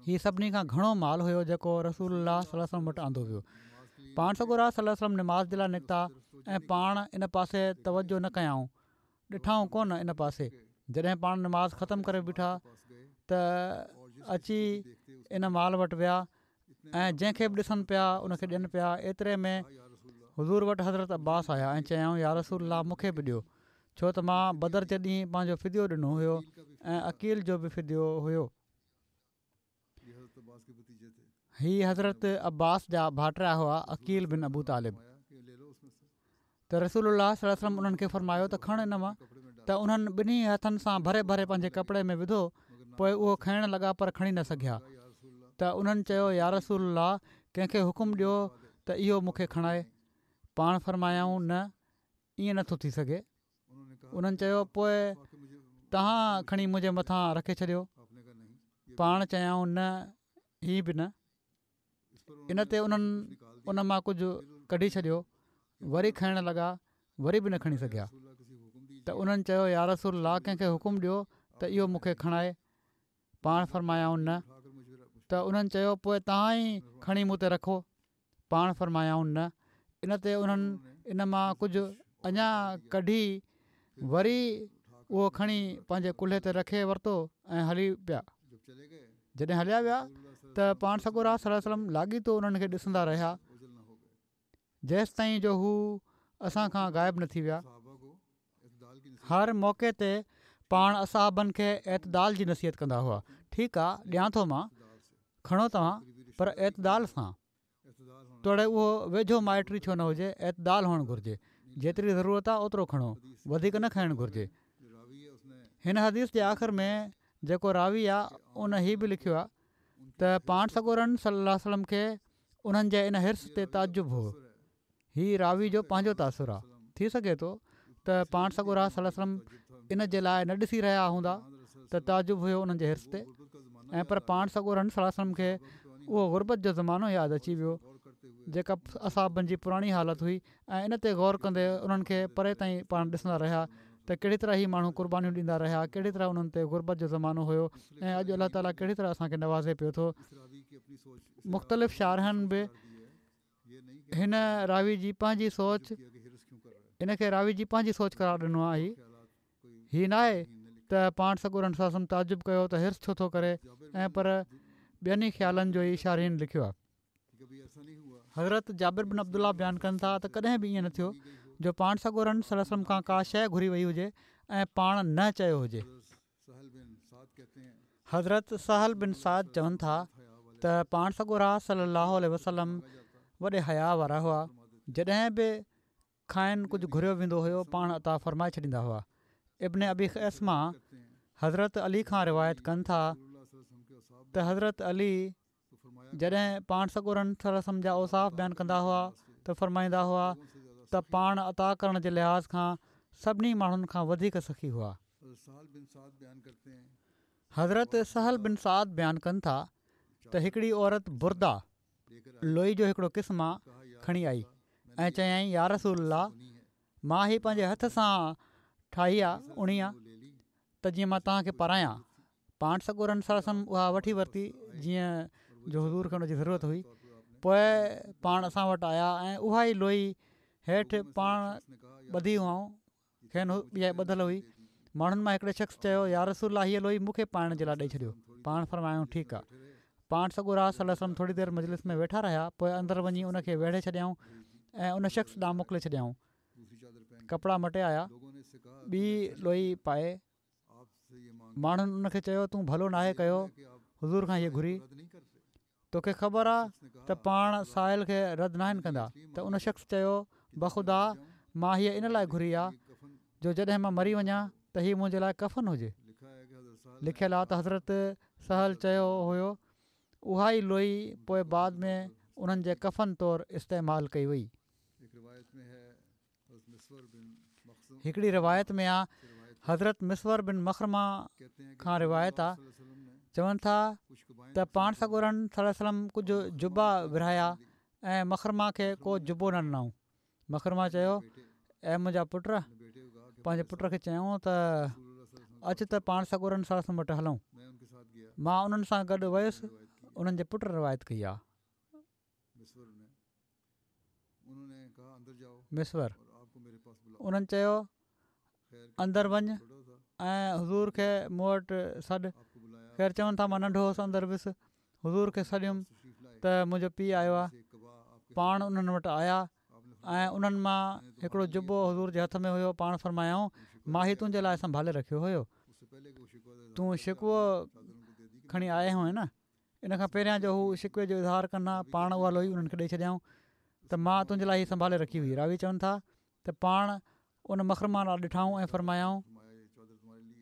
هي سڀني کان گهڻو مال هيو جيڪو رسول الله صلي الله عليه وسلم وٽ آندو ويو. پاڻ سڳورا صلي الله عليه وسلم نماز جي لاءِ نڪتا ۽ پاڻ ان پاسي توجه نه ڪيائون، ڏٺائون ڪونه ان پاسي. جڏهن پاڻ نماز ختم ڪري بيٺا ته اچي ان مال وٽ ويا ۽ جنهن کي به ڏسن پيا ان کي ڏين پيا. ايتري ۾ حضور وٽ حضرت عباس آيا ۽ چيائون يا رسول الله مون کي به ڏيو، ڇو ته مان بدر جي ڏينهن پنهنجو فديو ڏنو هيو ۽ عقيل جو به فديو هيو. هي حضرت عباس جا ڀائٽيا هئا، عقيل بن ابو طالب. ته رسول الله صلي الله عليه وسلم انهن کي فرمايو ته کڻ ان مان. ته انهن ٻنهي هٿن سان ڀري ڀري پنهنجي ڪپڙي ۾ وڌو، پوءِ اهو کڻڻ لڳا پر کڻي نه سگهيا. ته انهن چيو يا رسول الله ڪنهن کي حڪم ڏيو ته اهو مون کي کڻائي. پاڻ فرمايائون نه، ائين نٿو ٿي سگهي. انهن چيو پوءِ توهان کڻي منهنجي مٿان رکي ڇڏيو. پاڻ چيائون نه، هي به نه. ان تي انهن ان مان ڪجهه ڪڍي ڇڏيو، وري کڻڻ لڳا، وري به نه کڻي سگهيا. ته انهن چيو يا رسول الله ڪنهن کي حڪم ڏيو ته اهو مون کي کڻائي. پاڻ فرمايائون نه. ته انهن چيو پوء توهان ئي کڻي مون تي رکو. پاڻ فرمايائون نه. ان تي انهن ان مان ڪجهه اڃا ڪڍي وري اهو کڻي پنهنجي ڪلهي تي رکي ورتو ۽ هلي پيا. جڏهن هليا ويا ته پاڻ سڳورا صلي الله عليه وسلم لاڳيتو انهن کي ڏسندا رهيا جيستائين جو هو اسان کان غائب نه ٿي ويا. هر موقعي تي پاڻ اصحابن کي اعتدال جي نصيحت ڪندا هئا. ٺيڪ آ ڏيان ٿو مان، کڻو توهان پر اعتدال سان. توڙي اهو ويجهو مائٽ ئي ڇو نه هجي، اعتدال هئڻ گهرجي. جيتري ضرورت آ اوترو کڻو، وڌيڪ نه کڻڻ گهرجي. هن حديث جي آخر ۾ جيڪو راوي آ ان هي به لکيو آ ته پاڻ سڳورن صلي الله عليه وسلم کي انهن جي ان حرص تي تعجب هو. هي راوي جو پنهنجو تاثر آ. ٿي سگهي ٿو ته پاڻ سڳورا صلي الله عليه وسلم ان جي لاء نه ڏسي رهيا هوندا ته تعجب هيو انهن جي حرص تي ۽ پر پاڻ سڳورن صلي الله عليه وسلم کي اهو غربت جو زمانو ياد اچي ويو جيڪا اصحابن جي پراڻي حالت هئي ۽ ان تي غور ڪندي انهن کي پري تائين پاڻ ڏسندا رهيا ته ڪهڙي طرح هي ماڻهو قربانيون ڏيندا رهيا، ڪهڙي طرح انهن تي غربت جو زمانو هيو ۽ اڄ الله تعاليٰ ڪهڙي طرح اسان کي نوازي پيو ٿو. مختلف شارحن به هن راوي جي پنهنجي سوچ ان کي راوي جي پنهنجي سوچ قرار ڏنو آهي. هي ناهي ته پاڻ سڳورن صلي الله عليه وسلم تعجب ڪيو ته حرص ڇو ٿو ڪري ۽ پر ٻين ئي خيالن جو ئي شارحين لکيو آهي. حضرت جابر بن عبدالله بيان ڪن ٿا ته ڪڏهن به ائين نه ٿيو جو پاڻ سڳورن صلي الله عليه وسلم کان ڪا شيء گهري وئي هجي ۽ پاڻ نه چيو هجي. حضرت سهل بن سعد چون ٿا ته پاڻ سڳورا صلي الله عليه وسلم وڏي حياء وارا هئا، جڏهن به کانئن ڪجهه گهريو ويندو هيو پاڻ عطا فرمائي ڇڏيندا هئا. ابن ابي خيثمه حضرت علي کان روايت ڪن ٿا ته حضرت علي جڏهن پاڻ سڳورن صلي الله عليه وسلم جا اوصاف بيان ڪندا هئا ته فرمائيندا هئا ته پاڻ عطا ڪرڻ جي لحاظ کان سڀني ماڻهن کان وڌيڪ سخي هئا. حضرت سهل بن سعد بيان ڪن ٿا ته هڪڙي عورت برده، لوئي جو هڪڙو قسم آ، کڻي آئي ۽ چيائين يا رسول الله مان هي پنهنجي هٿ سان ٺاهي آ، اڻي آ، ته جيئن مان توهان کي پارايان. پاڻ سڳورن صلي الله عليه وسلم اها وٺي ورتي جيئن جو حضور کي ان جي ضرورت هئي. پوء پاڻ اسان وٽ آيا ۽ اها ئي لوئي هيٺ پاڻ ٻڌي هئائون، کين اها ٻڌل هئي. ماڻهن مان هڪڙي شخص چيو يا رسول الله هيء لوئي مون کي پائڻ جي لاء ڏئي ڇڏيو. پاڻ فرمايائون ٺيڪ آ. پاڻ سڳورا صلي الله عليه وسلم ٿوري دير مجلس ۾ ويٺا رهيا پوء اندر وڃي ان کي ويڙهي ڇڏيائون ۽ ان شخص ڏانهن موڪلي ڇڏيائون. ڪپڙا مٽي آيا. ٻي لوئي پائي ماڻهن ان کي چيو تون ڀلو ناهي ڪيو حضور کان هيء گهري. توکي خبر آ ته پاڻ سائل کي رد ناهن ڪندا ته ان شخص چيو بخدا مان هيء ان لاء گهري آ جو جڏهن مان مري وڃان ته هي منهنجي لاء ڪفن هجي. لکيل آ ته حضرت سهل چيو هيو اها ئي لوئي پوء بعد ۾ انهن جي ڪفن طور استعمال ڪئي وئي. هڪڙي روايت ۾ آ حضرت مسور بن مخرمه کان روايت آ چون ٿا ته پاڻ سڳورن صلي الله عليه وسلم ڪجهه جبا ورهايا ۽ مخرمه کي ڪو جبو نه ڏنائون. مخرمه چيو اي منهنجا پٽ پنهنجي پٽ کي چيائون ته اچ ته پاڻ سڳورن صلي الله عليه وسلم وٽ هلون. مان انهن سان گڏ ويس انهن جي پٽ روايت ڪئي آ. مسور انهن چيو اندر وڃ ۽ حضور کي مون وٽ سڏ. خير چون ٿا مان ننڍو هوس اندر ويس حضور کي سڏيم ته منهنجو پيء آيو آهي. پاڻ انهن وٽ آيا ۽ انهن مان هڪڙو جبو حضور جي هٿ ۾ هيو پاڻ فرمايائون مان هي تنهنجي لاء سنڀالي رکيو هيو تون شڪوو کڻي آيو هئين نه ان کان پهريان جو هو شڪوي جو اظهار ڪن ها پاڻ اها لوئي انهن کي ڏئي ڇڏيائون ته مان تنهنجي لاء هي سنڀالي رکي هئي راوي چون ٿا ته پاڻ ان مخرمه ڏانهن ڏٺائون ۽ فرمايائون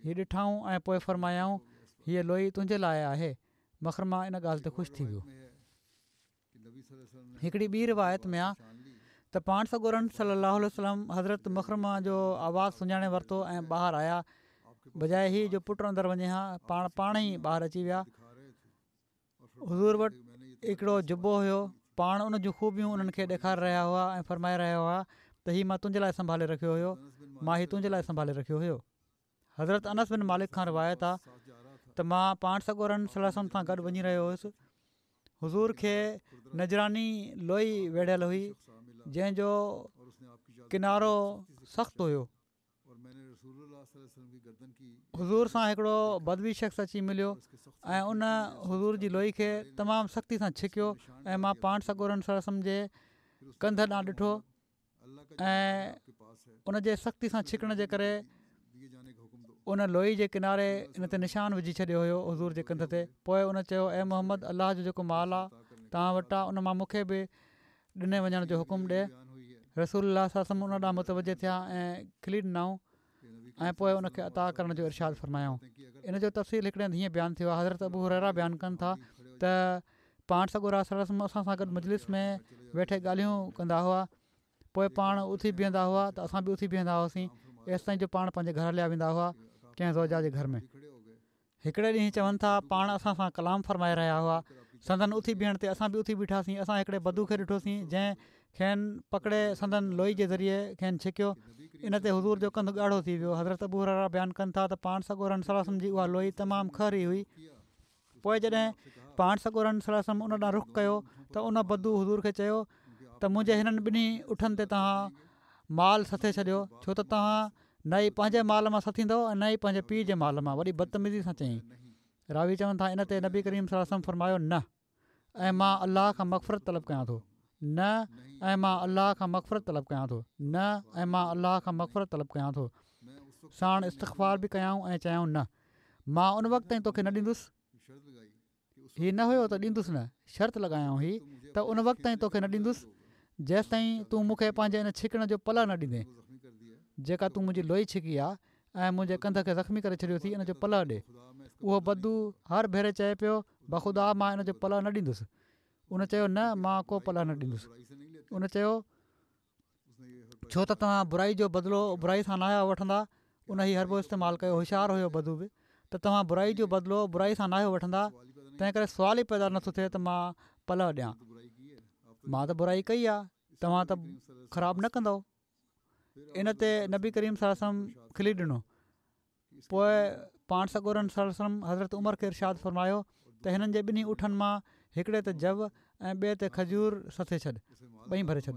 هي ڏٺائون ۽ پوء فرمايائون هيء لوئي تنهنجي لاء آهي مخرمه ان ڳالهه تي خوش ٿي ويو. هڪڙي ٻي روايت ۾ آ ته پاڻ سڳورن صلي الله عليه وسلم حضرت مخرمه جو آواز سڃاڻي ورتو ۽ ٻاهر آيا بجاء هي جو پٽ اندر وڃي ها پاڻ پاڻ ئي ٻاهر اچي ويا حضور وٽ هڪڙو جبو هيو پاڻ ان جون خوبيون انهن کي ڏيکاري رهيا هئا ۽ فرمائي رهيا هئا ته هي مان تنهنجي لاء سنڀالي رکيو هيو مان هي تنهنجي لاءِ سنڀالي رکيو هيو. حضرت انس بن مالڪ کان روايت آ ته مان پاڻ سڳورن صلي الله عليه وسلم سان گڏ وڃي رهيو هوس. حضور کي نجراني لوئي ويڙهيل هئي جنهن جو ڪنارو سخت هيو. حضور سان هڪڙو بدوي شخص اچي مليو ۽ ان حضور جي لوئي کي تمام سختي سان ڇڪيو ۽ مان پاڻ سڳورن صلي الله عليه وسلم جي ڪنڌ ڏانهن ڏٺو ۽ ان جي سختي سان ڇڪڻ جي ڪري ان لوئي جي ڪناري ان تي نشان وجهي ڇڏيو هيو حضور جي ڪنڌ تي. پوءِ ان چيو، اي محمد، الله جو جيڪو مال آ توهان وٽ آ ان مان مون کي به ڏني وڃڻ جو حڪم ڏي. رسول الله صلي الله عليه وسلم ان ڏانهن متوجه ٿيا ۽ کلي ڏنائون ۽ پوءِ ان کي عطا ڪرڻ جو ارشاد فرمايائون. ان جو تفصيل هڪڙي هنڌ هيئن بيان ٿيو آهي. حضرت ابو هريره بيان ڪن ٿا ته پاڻ سڳورا صلي الله عليه وسلم اسان سان گڏ مجلس ۾ ويٺي ڳالهيون ڪندا هئا. پوءِ پاڻ اٿي بيهندا هئا ته اسان به اٿي بيهندا هئاسين، ايستائين جو پاڻ پنهنجي گهر هليا ويندا هئا ڪنهن زوجا جي گهر ۾. هڪڙي ڏينهن چون ٿا پاڻ اسان سان ڪلام فرمائي رهيا هئا. سندن اٿي بيهڻ تي اسان به اٿي بيٺاسين. اسان هڪڙي بدو کي ڏٺوسين جنهن کين پڪڙي سندن لوئي جي ذريعي کين ڇڪيو. ان تي حضور جو ڪنڌ ڳاڙهو ٿي ويو. حضرت ابو هريره بيان ڪن ٿا ته پاڻ سڳورن صلي الله عليه وسلم جي اها لوئي تمام کهري هئي. پوءِ جڏهن پاڻ سڳورن صلي الله عليه وسلم ان ڏانهن رخ ڪيو ته ان بدو حضور کي چيو ته منهنجي هنن ٻنهي اٺن تي توهان مال سٿي ڇڏيو، ڇو ته توهان نه ئي پنهنجي مال مان سٿيندؤ ۽ نه ئي پنهنجي پيءُ جي مال مان. وڏي بدتميزي سان چيائين. راوي چون ٿا ان تي نبي ڪريم صلي الله عليه وسلم فرمايو، نه، ۽ مان الله کان مغفرت طلب ڪيان ٿو. نه، ۽ مان الله کان مغفرت طلب ڪيان ٿو. نه، ۽ مان الله کان مغفرت طلب ڪيان ٿو. ساڻ استغفار به ڪيائون ۽ چيائون، نه، مان ان وقت تائين توکي نه ڏيندس. هي نه هيو ته ڏيندس نه، شرط لڳايائون هي ته ان وقت تائين توکي نه ڏيندس جيستائين تون مون کي پنهنجي ان ڇڪڻ جو پلئه نه ڏيندين، جيڪا تون منهنجي لوئي ڇڪي آ ۽ منهنجي ڪنڌ کي زخمي ڪري ڇڏيو ٿي، ان جو پلئه ڏي. اهو بدو هر ڀيري چئي پيو، بخدا مان ان جو پلئه نه ڏيندس. ان چيو، نه، مان ڪو پلئه نه ڏيندس. ان چيو، ڇو ته توهان برائي جو بدلو برائي سان ناهيو وٺندا. ان هي حربو استعمال ڪيو، هوشيار هيو بدو به، ته توهان برائي جو بدلو برائي سان ناهيو وٺندا، تنهن ڪري سوال ئي پيدا نٿو ٿئي ته مان پلئه ڏيان. مان ته برائي ڪئي آ، توهان ته خراب نه ڪندؤ. ان تي نبي ڪريم صلي الله عليه وسلم کلي ڏنو. پوءِ پاڻ سڳورن صلي الله عليه وسلم حضرت عمر کي ارشاد فرمايو ته هنن جي ٻنهي اٺن مان هڪڙي تي جو ۽ ٻئي تي کجور سٿي ڇڏ، ٻئي ڀري ڇڏ.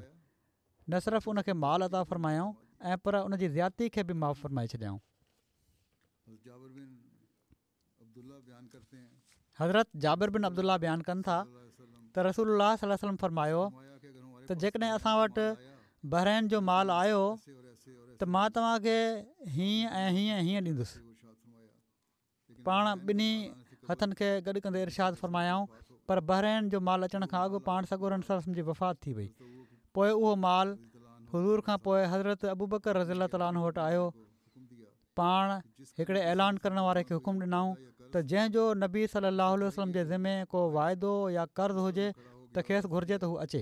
نه صرف ان کي مال عطا فرمايائون ۽ پر ان جي زيادتي کي به معاف فرمائي ڇڏيائون. حضرت جابر بن عبدالله بيان ڪن ٿا ته رسول الله صلي الله عليه وسلم فرمايو ته جيڪڏهن اسان وٽ بحرين جو مال آيو ته مان توهان کي هيئن ۽ هيئن هيئن ڏيندس. پاڻ ٻنهي هٿن کي گڏ ڪندي ارشاد فرمايائون، پر بحرين جو مال اچڻ کان اڳ پاڻ سڳورن صلي الله عليه وسلم جي وفات ٿي وئي. پوءِ اهو مال حضور کان پوءِ حضرت ابوبڪر رضي الله تعاليٰ عنه وٽ آيو. پاڻ هڪڙي اعلان ڪرڻ واري کي حڪم ڏنائون ته جنهن جو نبي صلي الله عليه وسلم جي ذمي ڪو واعدو يا قرض هجي ته کيس گهرجي ته هو اچي.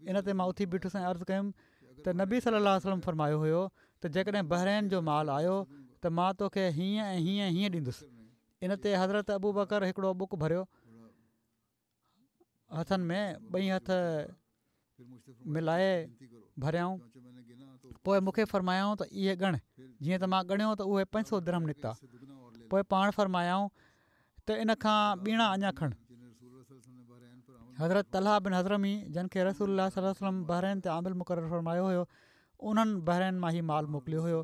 ان تي مان اٿي بيٺس ۽ عرض ڪيم ته نبي صلي الله عليه وسلم فرمايو هيو ته جيڪڏهن بحرين جو مال آيو ته مان توکي هيئن ۽ هيئن هيئن ڏيندس. ان تي حضرت ابوبڪر هڪڙو ٻڪ ڀريو هٿن ۾ ٻئي هٿ ملائي ڀريائون. پوءِ مون کي فرمايائون ته اهي ڳڻ. جيئن ته مان ڳڻيو ته اهي پنج سؤ درهم نڪتا. پوءِ پاڻ فرمايائون ته ان کان ٻيڻا اڃا کڻ. حضرت طلحه بن حضرمي جن کي رسول الله صلي الله عليه وسلم بحرين تي عامل مقرر فرمايو هيو، انهن بحرين مان هي مال موڪليو هيو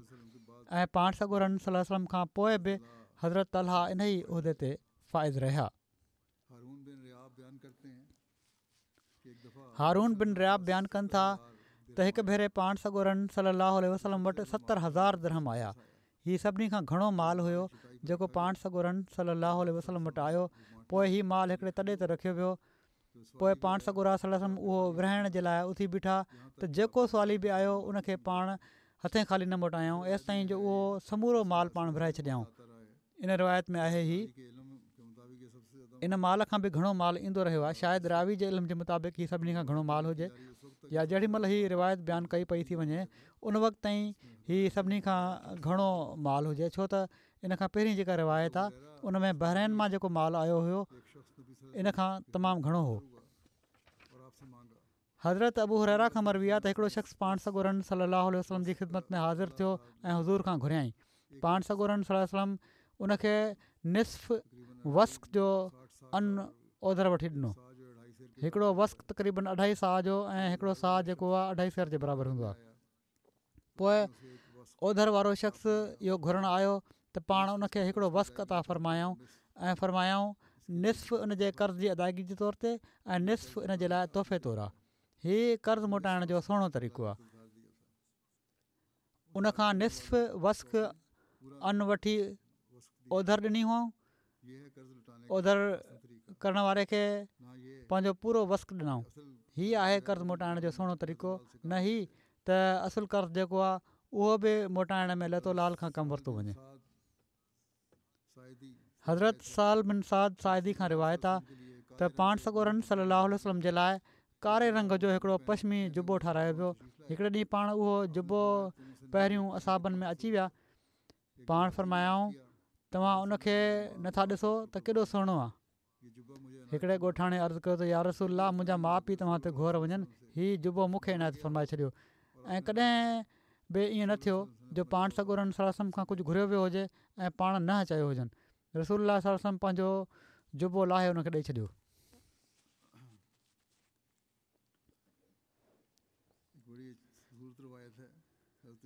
۽ پاڻ سڳورن صلي الله عليه وسلم کان پوءِ به حضرت طلحه ان ئي عهدي تي فائز رهيا. هارون بن رياب بيان ڪن ٿا ته هڪ ڀيري پاڻ سڳورن صلي الله عليه وسلم وٽ ستر هزار درهم آيا. هي سڀني کان گهڻو مال هيو جيڪو پاڻ سڳورن صلي الله عليه وسلم وٽ آيو. پوءِ هي مال هڪڙي تڏي تي رکيو ويو. پوءِ پاڻ سڳورا صلي الله عليه وسلم اهو ورهائڻ جي لاءِ اٿي بيٺا ته جيڪو سوالي به آيو ان کي پاڻ هٿين خالي نه موٽايائون، ايستائين جو اهو سمورو مال پاڻ ورهائي ڇڏيائون. ان روايت ۾ آهي هي ان مال کان به گهڻو مال ايندو رهيو آهي. شايد راوي جي علم جي مطابق هي سڀني کان گهڻو مال هجي، يا جهڙي مهل هي روايت بيان ڪئي پئي ٿي وڃي ان وقت تائين هي سڀني کان گهڻو مال هجي، ڇو ته ان کان پهرين جيڪا روايت آهي ان ۾ بحرين مان جيڪو مال آيو هيو ان کان تمام گهڻو هو. حضرت ابو هريره کان مروي آهي ته هڪڙو شخص پاڻ سڳورن صلي الله عليه وسلم جي خدمت ۾ حاضر ٿيو ۽ حضور کان گهريائين. پاڻ سڳورن صلي الله عليه وسلم ان کي نصف وسق جو ان اوڌر وٺي ڏنو. هڪڙو وسق تقريبن اڍائي صاع جو ۽ هڪڙو صاع جيڪو آهي اڍائي سير جي برابر هوندو آهي. پوء اوڌر وارو شخص اهو گهرڻ آيو ته پاڻ ان کي هڪڙو وسق عطا فرمايائون ۽ فرمايائون نصف ان جي قرض جي ادائگي جي طور تي ۽ نصف ان جي لاء تحفي طور آهي. هي قرض موٽائڻ جو سهڻو طريقو آهي. ان کان نصف وسق ان وٺي اوڌر ڏني هئائون. اوڌر ڪرڻ واري کي پنهنجو پورو وسق ڏنائون. هي آهي قرض موٽائڻ جو سهڻو طريقو، نه هي ته اصل قرض جيڪو آهي اهو به موٽائڻ ۾ لت و لعل کان ڪم ورتو وڃي. حضرت سهل بن سعد ساعدي کان روايت آ ته پاڻ سڳورن صلي الله عليه وسلم جي لاء ڪاري رنگ جو هڪڙو پشمي جبو ٺارايو ويو. هڪڙي ڏينهن پاڻ اهو جبو پهريون اصحابن ۾ اچي ويا. پاڻ فرمايائون توهان ان کي نٿا ڏسو ته ڪيڏو سهڻو آ. هڪڙي ڳوٺاڻي عرض ڪيو ته يا رسول الله منهنجا ماء پيء توهان تي گهور وڃن هي جبو مون کي عنايت فرمائي ڇڏيو ۽ ڪڏهن به ائين نه ٿيو جو پاڻ سڳورن صلي الله عليه وسلم کان ڪجهه گهريو ويو هجي ۽ پاڻ نه چيو هجن. رسول الله صلي الله عليه وسلم پنهنجو جبو لاهي ان کي ڏئي ڇڏيو.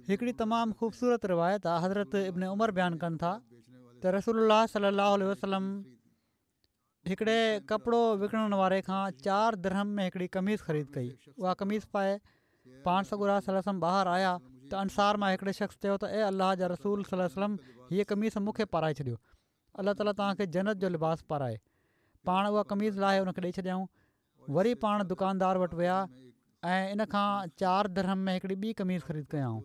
هڪڙي تمام خوبصورت روايت آ حضرت ابن عمر بيان ڪن ٿا ته رسول الله صلي الله عليه وسلم هڪڙي ڪپڙو وڪڻڻ واري کان چار درهم ۾ هڪڙي قميص خريد ڪئي. اها قميص پائي پاڻ سڳورا صلي الله عليه وسلم ٻاهر آيا ته انصار مان هڪڙي شخص چيو ته اي الله جا رسول صلي الله عليه وسلم هيء قميص مون کي پارائي ڇڏيو. الله تعاليٰ توهان کي جنت جو لباس پارائي. پاڻ اها قميص لاهي ان کي ڏئي ڇڏيائون. وري پاڻ دڪاندار وٽ ويا ۽ ان کان چار درهم ۾ هڪڙي ٻي قميص خريد ڪيائون.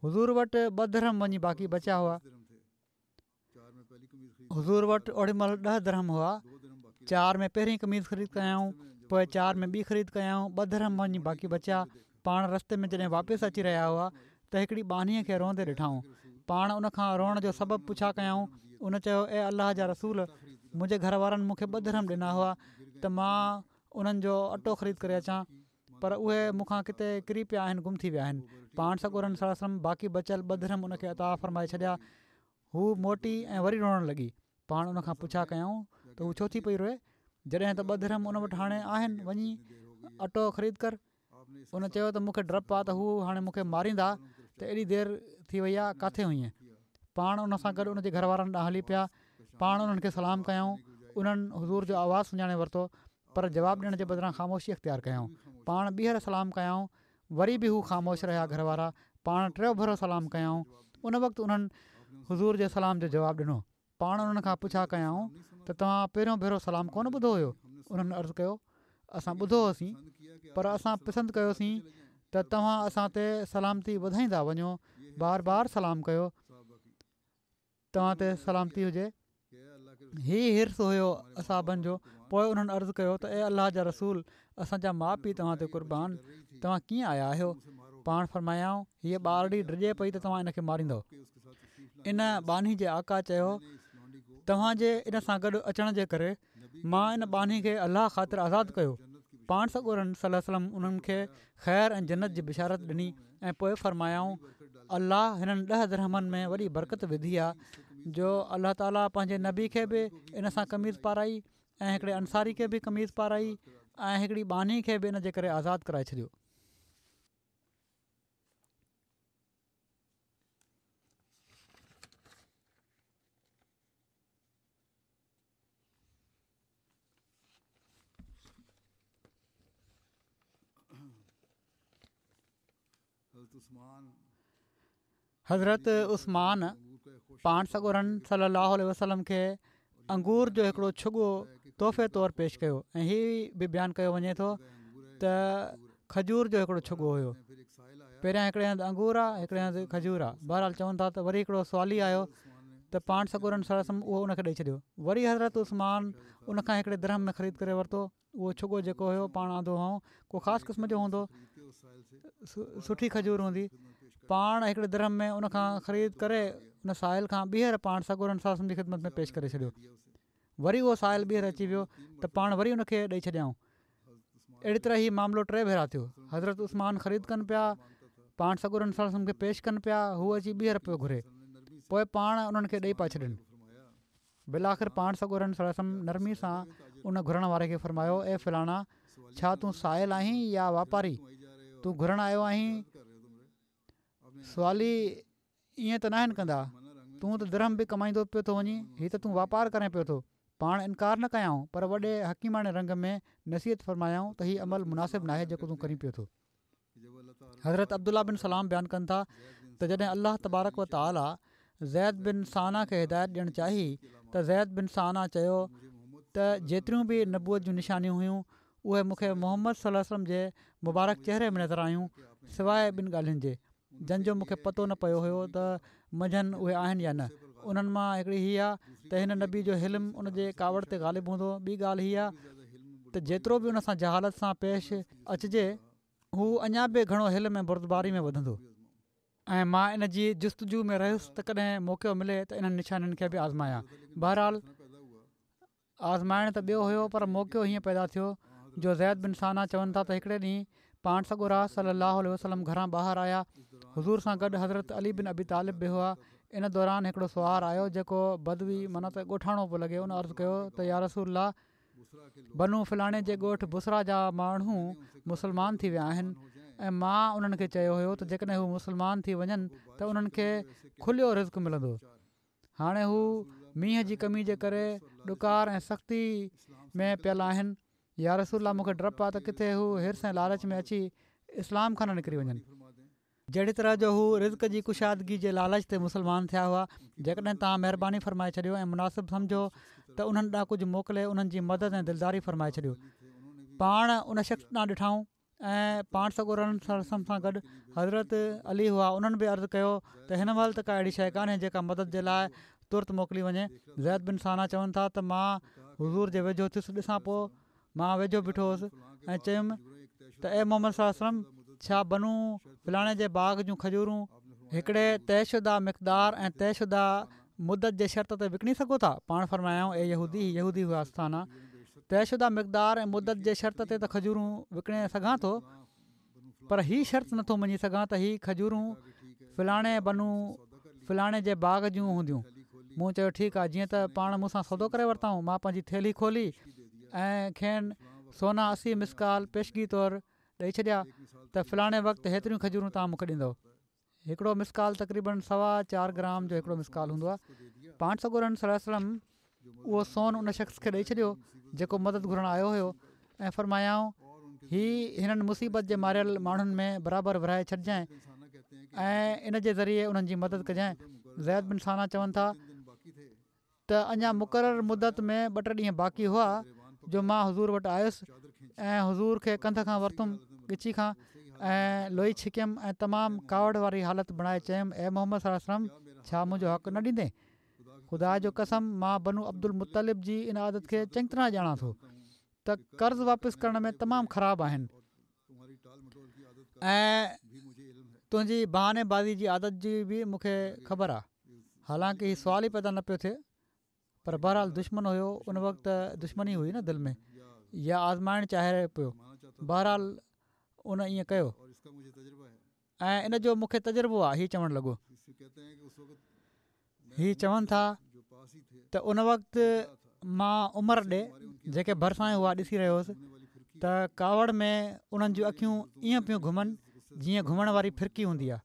حضور وٽ ٻه درهم وڃي باقي بچيا هئا. حضور وٽ اوڏي مهل ڏهه درهم هئا. چار ۾ پهرين قميص خريد ڪيائون، پوء چار ۾ ٻي خريد ڪيائون، ٻه درهم وڃي باقي بچيا. پاڻ رستي ۾ جڏهن واپس اچي رهيا هئا ته هڪڙي ٻانهيء کي روئندي ڏٺائون. پاڻ ان کان روئڻ جو سبب پڇا ڪيائون. ان چيو اي الله جا رسول! منهنجي گهر وارن مون کي ٻه درهم ڏنا هئا ته مان انهن جو اٽو خريد ڪري اچان پر اهي مون کان ڪٿي ڪري پيا آهن گم ٿي ويا آهن. پاڻ سڳورن صلي الله عليه وسلم باقي بچيل ٻه درهم ان کي عطا فرمائي ڇڏيا. هوء موٽي ۽ وري روئڻ لڳي. پاڻ ان کان پڇا ڪيائون ته هوء ڇو ٿي پئي روئي؟ جڏهن ته ٻه درهم ان وٽ هاڻي آهن وڃي اٽو خريد ڪر. ان چيو ته مون کي ڊپ آ ته هو هاڻي مون کي ماريندا ته ايڏي دير ٿي وئي آ ڪاٿي هئين؟ پاڻ ان سان گڏ ان جي گهر وارن ڏانهن هلي پيا. پاڻ انهن کي سلام ڪيائون. انهن حضور جو آواز سڃاڻي ورتو پر جواب ڏيڻ جي بدران خاموشي اختيار ڪيائون. پاڻ ٻيهر سلام ڪيائون وري به هو خاموش رهيا گهر وارا پاڻ ٽيون ڀيرو سلام ڪيائون ان وقت انهن حضور جي سلام جو جواب ڏنو پاڻ انهن کان پڇا ڪيائون ته توهان پهريون ڀيرو سلام ڪونه ٻڌو هيو انهن عرض ڪيو اسان ٻڌو هوسين پر اسان پسند ڪيوسين ته توهان اسان تي سلامتي وڌائيندا وڃو بار بار سلام ڪيو توهان تي سلامتي هجي. هي حرص هيو اصحابن جو پوء انهن عرض ڪيو ته اي الله جا رسول اسان جا ماء پيء توهان تي قربان توهان ڪيئن آيا آهيو؟ پاڻ فرمايائون هيء ٻارڙي ڊڄي پئي ته توهان ان کي ماريندؤ. ان ٻانهي جي آقا چيو توهان جي ان سان گڏ اچڻ جي ڪري مان ان ٻانهي کي الله خاطر آزاد ڪيو. پاڻ سڳورن صلي الله عليه وسلم انهن کي خير ۽ جنت جي بشارت ڏني ۽ پوء فرمايائون الله هنن ڏهه درهمن ۾ وڏي برڪت وڌي آ جو الله تعالي پنهنجي نبي کي به ان سان قميص پارائي ۽ هڪڙي انصاري کي به قميص پارائي ۽ هڪڙي ٻانهي کي به ان جي ڪري آزاد ڪرائي ڇڏيو. حضرت عثمان پاڻ سڳورن صلي الله عليه وسلم کي انگور جو هڪڙو ڇڳو تحفي طور پيش ڪيو ۽ هي به بيان ڪيو وڃي ٿو ته کجور جو هڪڙو ڇڳو هيو پهريان هڪڙي هنڌ انگور آ هڪڙي هنڌ کجور آ بهرحال چون ٿا ته وري هڪڙو سوالي آيو ته پاڻ سڳورن صلي الله عليه وسلم اهو ان کي ڏئي ڇڏيو وري حضرت عثمان ان کان هڪڙي درهم ۾ خريد ڪري ورتو اهو ڇڳو جيڪو هيو پاڻ آندو هئائون ڪو خاص قسم جو هوندو سٺي کجور هوندي پاڻ هڪڙي درهم ۾ ان کان خريد ڪري ان سائل کان ٻيهر پاڻ سڳورن صلي الله عليه وسلم جي خدمت ۾ پيش ڪري ڇڏيو وري اهو سائل ٻيهر اچي ويو ته پاڻ وري ان کي ڏئي ڇڏيائون اهڙي طرح هي معاملو ٽي ڀيرا ٿيو. حضرت عثمان خريد ڪن پيا، پاڻ سڳورن صلي الله عليه وسلم کي پيش ڪن پيا، هو اچي ٻيهر پيو گهري، پوءِ پاڻ انهن کي ڏئي پيا ڇڏن. بالآخر پاڻ سڳورن صلي الله عليه وسلم نرمي سان ان گهرڻ واري کي فرمايو، اي فلاڻا، ڇا تون سائل آهين يا واپاري؟ تون گهرڻ آيو آهين، سوالي ائين ته ناهن ڪندا، تون ته درهم به ڪمائيندو پيو ٿو وڃين، هي ته تون واپار ڪرين پيو ٿو. پاڻ انڪار نه ڪيائون پر وڏي حڪيماڻي رنگ ۾ نصيحت فرمايائون ته هي عمل مناسب ناهي جيڪو تون ڪرين پيو ٿو. حضرت عبدالله بن سلام بيان ڪن ٿا ته جڏهن الله تبارڪ و تعالي زيد بن سانا کي هدايت ڏيڻ چاهي ته زيد بن سانا چيو ته جيتريون به نبوت جون نشانيون هيون اهي مون کي محمد صلي الله عليه وسلم جي مبارڪ چهري ۾ نظر آيون سواءِ ٻن ڳالهين جي جن جو مون کي پتو نه پيو هيو ته منجهن اهي آهن يا نه. انهن مان هڪڙي هي آ ته هن نبي جو حلم ان جي ڪاوڙ تي غالب هوندو. ٻي ڳالهه هي آ ته جيترو به ان سان جهالت سان پيش اچجي هو اڃا به گهڻو حلم ۽ بردباري ۾ وڌندو. ۽ مان ان جي جستجو ۾ رهيس ته ڪڏهن موقعو ملي ته انهن نشانين کي به آزمايان. بهرحال آزمائڻ ته ٻيو هيو پر موقعو هيئن پيدا ٿيو جو زيد بن سانا چون ٿا ته هڪڙي ڏينهن پاڻ سڳورا صلي الله عليه وسلم گهران ٻاهر آيا. حضور سان گڏ حضرت علي بن ابي طالب به هئا. ان دوران هڪڙو سوار آيو جيڪو بدوي معنيٰ ته ڳوٺاڻو پيو لڳي. ان عرض ڪيو ته يا رسول الله، بنو فلاڻي جي ڳوٺ بصريٰ جا ماڻهو مسلمان ٿي ويا آهن ۽ مان انهن کي چيو هيو ته جيڪڏهن هو مسلمان ٿي وڃن ته انهن کي کليو رزق ملندو. هاڻي هو مينهن جي ڪمي جي ڪري ڏڪار ۽ سختي ۾ پيل آهن. يا رسول الله، مون کي ڊپ آ ته ڪٿي هو حرص ۽ لالچ ۾ اچي اسلام کان نه نڪري وڃن. جهڙي طرح جو هو رزق جي ڪشادگي جي لالچ تي مسلمان ٿيا هئا. جيڪڏهن توهان مهرباني فرمائي ڇڏيو ۽ مناسب سمجهو ته انهن ڏانهن ڪجهه موڪلي انهن جي مدد ۽ دلداري فرمائي ڇڏيو. پاڻ ان شخص ڏانهن ڏٺائون ۽ پاڻ سڳورن صلي الله عليه وسلم سان گڏ حضرت علي هئا. انهن به عرض ڪيو ته هن مهل ته ڪا اهڙي شيء ڪانهي جيڪا مدد جي لاء ترت موڪلي وڃي. زيد بن سانا چون ٿا ته مان حضور جي ويجهو ٿيس، ڏسان پوء مان ويجهو بيٺو هوس ۽ چيم ته اي محمد صلي الله عليه وسلم، ڇا بنو فلاڻي جي باغ جون کجورون هڪڙي طئي شده مقدار ۽ طئي شده مدت جي شرط تي وڪڻي سگهو ٿا؟ پاڻ فرمايائون، اي يهودي، هي يهودي هئا سانا، طئي شده مقدار ۽ مدت جي شرط تي ته کجورون وڪڻي سگهان ٿو پر هي شرط نٿو مڃي سگهان ته هي کجورون فلاڻي بنو فلاڻي جي باغ جون هونديون. مون چيو ٺيڪ آهي. جيئن ته پاڻ مون سان سودو ڪري ورتائون، مان پنهنجي ٿيلهي کولي ۽ کين سونا اسي مثقال پيشگي طور ڏئي ڇڏيا ته فلاڻي وقت هيتريون کجورون توهان مون کي ڏيندؤ. هڪڙو مثقال تقريبن سوا چار گرام جو هڪڙو مثقال هوندو آهي. پاڻ سڳورن صلي الله عليه وسلم اهو سون ان شخص کي ڏئي ڇڏيو جيڪو مدد گهرڻ آيو هيو ۽ فرمايائون، هي هنن مصيبت جي ماريل ماڻهن ۾ برابر ورهائي ڇڏجانء ۽ ان جي ذريعي انهن جي مدد ڪجانء. زيد بن سانا چون ٿا ته اڃا مقرر مدت ۾ ٻه ٽي ڏينهن باقي هئا جو مان حضور وٽ آيس ۽ حضور کي ڪنڌ کان ورتم، ڳچي کان، ۽ لوئي ڇڪيم ۽ تمام ڪاوڙ واري حالت بڻائي چيم، اي محمد صلي الله عليه وسلم، ڇا منهنجو حق نه ڏيندين؟ خدا جو قسم مان بنو عبدالمطلب جي ان عادت کي چڱي طرح ڄاڻان ٿو ته قرض واپس ڪرڻ ۾ تمام خراب آهن ۽ تنهنجي بهاني بازي جي عادت جي به مون کي خبر آهي. حالانڪه هي سوال ئي پيدا نه پيو ٿئي پر بهرحال دشمن هيو، ان وقت دشمني هئي نه دل ۾ يا آزمائڻ چاهي پيو، بهرحال ان ائين ڪيو ۽ ان جو مون کي تجربو آهي. هي چوڻ لڳو. هي چون ٿا ته ان وقت مان عمر ڏي جيڪي ڀرسان ئي هئا ڏسي رهيو هوس ته ڪاوڙ ۾ انهن جون اکيون ائين پيون گهمن جيئن گهمڻ واري ڦرڪي هوندي آهي.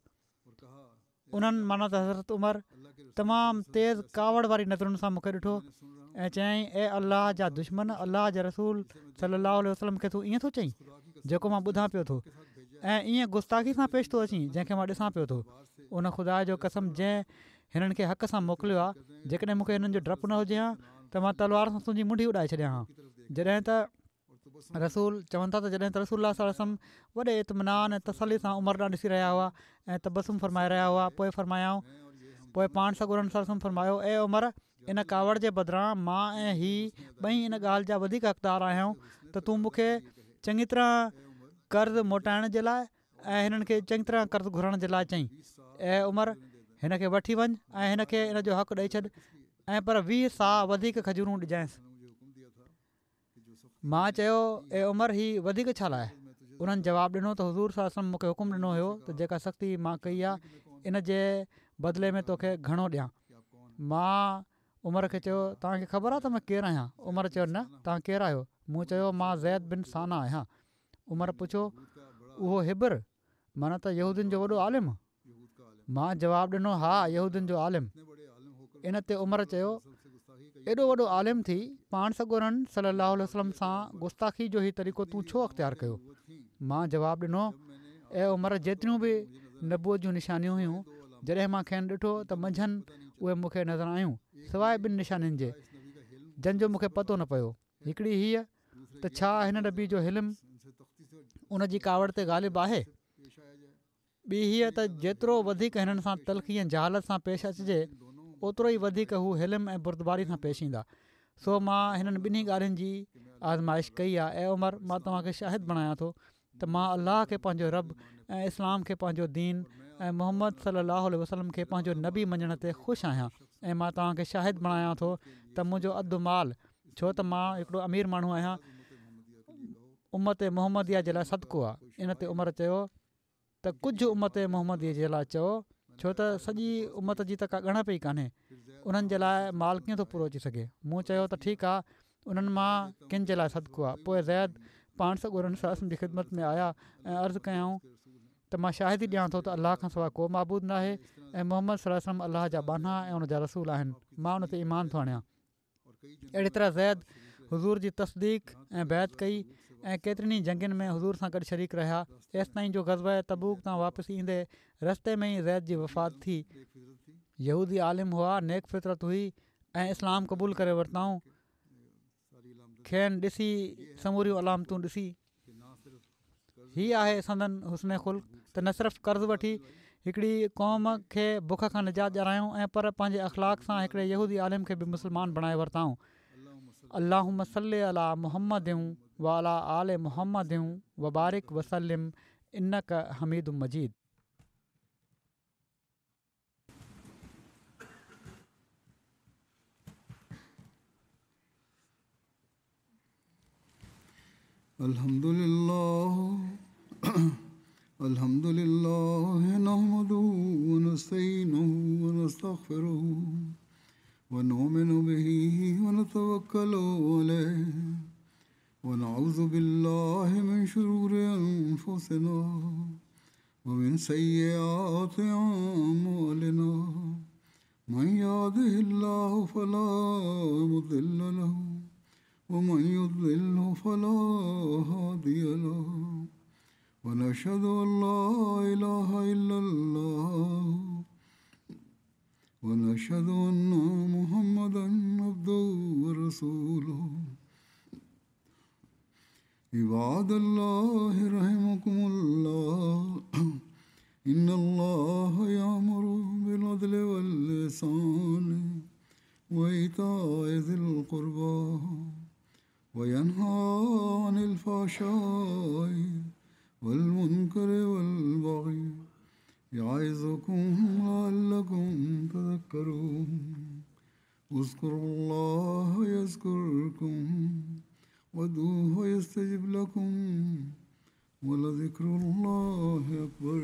انهن معنيٰ ته حضرت عمر تمام تيز ڪاوڙ واري نظرن سان مون کي ڏٺو ۽ چيائين اي الله جا دشمن، الله جي رسول صلي الله عليه وسلم کي تون ائين ٿو چئين جيڪو مان ٻڌان پيو ٿو ۽ ائين گستاخي سان پيش ٿو اچين جنهن کي مان ڏسان پيو ٿو. ان خدا جو قسم جنهن هنن کي حق سان موڪليو آهي، جيڪڏهن مون کي هنن جو ڊپ نه هجي ها ته مان تلوار سان تنهنجي منڍي اڏائي ڇڏيان ها. جڏهن ته رسول چون ٿا ته جڏهن ته رسول الله صلي الله عليه وسلم وڏي اطمينان ۽ تسلي سان عمر ڏانهن ڏسي رهيا هئا ۽ تبسم فرمائي رهيا هئا پوء فرمايائون پوء پاڻ سڳورن صلي الله عليه وسلم فرمايو اي عمر ان ڪاوڙ جي بدران مان ۽ هي ٻئي ان ڳالهه جا وڌيڪ حقدار آهيون ته تون مون کي چڱي طرح قرض موٽائڻ جي لاء ۽ هنن کي چڱي طرح قرض گهرڻ جي لاء چئين اي عمر هن کي وٺي وڃ ۽ هن کي ان جو حق ڏئي ڇڏ ۽ پر ويهه صاع وڌيڪ کجورون ڏجانس. مان چيو، اي عمر، هي وڌيڪ ڇا لاءِ؟ انهن جواب ڏنو ته حضور صلي الله عليه وسلم مون کي حڪم ڏنو هيو ته جيڪا سختي مان ڪئي آهي ان جي بدلي ۾ توکي گهڻو ڏيان. مان عمر کي چيو، توهان کي خبر آهي ته مان ڪير آهيان؟ عمر چيو، نه، توهان ڪير آهيو؟ مون چيو، مان زيد بن ثانه آهيان. عمر پڇيو، اهو حبر معنيٰ ته يهودين جو وڏو عالم؟ مان جواب ڏنو، ها، يهودين جو عالم. ان تي عمر چيو، ايڏو وڏو عالم ٿي پاڻ سڳورن صلي الله عليه وسلم سان گستاخي جو هي طريقو تون ڇو اختيار ڪيو؟ مان جواب ڏنو، اي عمر، جيتريون به نبوت جون نشانيون هيون، جڏهن مان کين ڏٺو ته منجهن اهي مون کي نظر آيون، سواءِ ٻن نشانين جي جن جو مون کي پتو نه پيو. هڪڙي هيءَ ته ڇا هن نبي جو حلم ان جي ڪاوڙ تي غالب آهي؟ ٻي هيءَ ته جيترو وڌيڪ هنن سان تلخي ۽ جهالت سان پيش اچجي، اوترو ئي وڌيڪ هو حلم ۽ بردباري سان پيش ايندا. سو مان هنن ٻنهي ڳالهين جي آزمائش ڪئي آهي. اي عمر، مان توهان کي شاهد بڻايان ٿو ته مان الله کي پنهنجو رب ۽ اسلام کي پنهنجو دين ۽ محمد صلي الله عليه وسلم کي پنهنجو نبي مڃڻ تي خوش آهيان، ۽ مان توهان کي شاهد بڻايان ٿو ته منهنجو اڌ مال، ڇو ته مان هڪڙو امير ماڻهو آهيان، امت محمديه جي لاءِ صدقو آهي. ان تي عمر چيو ته ڪجهه امت محمديه جي لاءِ چئو، ڇو ته سڄي امت جي ته ڪا ڳڻپ ئي ڪانهي، انهن جي لاءِ مال ڪيئن ٿو پورو اچي سگهي؟ مون چيو ته ٺيڪ آهي، انهن مان ڪن جي لاءِ صدقو آهي. پوءِ زيد پاڻ سڳورن صلي الله عليه وسلم جي خدمت ۾ آيا ۽ عرض ڪيائون ته مان شاهدي ڏيان ٿو ته الله کان سواءِ ڪو معبود نه آهي ۽ محمد صلي الله عليه وسلم الله جا ٻانها ۽ ان جا رسول آهن، مان ان تي ايمان ٿو آڻيان. اهڙي طرح زيد حضور جي تصديق ۽ بيعت ڪئي ۽ ڪيترين ئي جنگين ۾ حضور سان گڏ شريڪ رهيا، ايستائين جو غزوه تبوڪ تان واپس ايندي رستي ۾ ئي زيد جي وفات ٿي. يهودي عالم هئا، نيڪ فطرت هئي ۽ اسلام قبول ڪري ورتائون. کين ڏسي سموريون علامتون ڏسي، هي آهي سندن حسن خلق ته نه صرف قرض وٺي هڪڙي قوم کي بک کان نجات ڏياريائون ۽ پر پنهنجي اخلاق سان هڪڙي يهودي عالم کي به مسلمان بڻائي ورتائون. اللهم صل علي محمد وعلى آل محمد وبارڪ وسلم انڪ حميد مجيد. الحمد لله الحمد لله نحمده ونستعينه ونستغفره ونؤمن به ونتوكل عليه ونعوذ بالله من شرور أنفسنا ومن سيئات أعمالنا من يهده الله فلا مضل له ومن يضلله فلا هادي له ونشهد أن لا إله إلا الله ونشهد أن محمدا عبده ورسوله. عباد الله رحمكم الله، إن الله يأمر بالعدل والإحسان وإيتاء ذي القربى وينهى عن الفحشاء والمنكر والبغي يعظكم لعلكم تذكرون. اذكروا الله يذكركم وادعوه يستجب لكم ولذكر الله أكبر.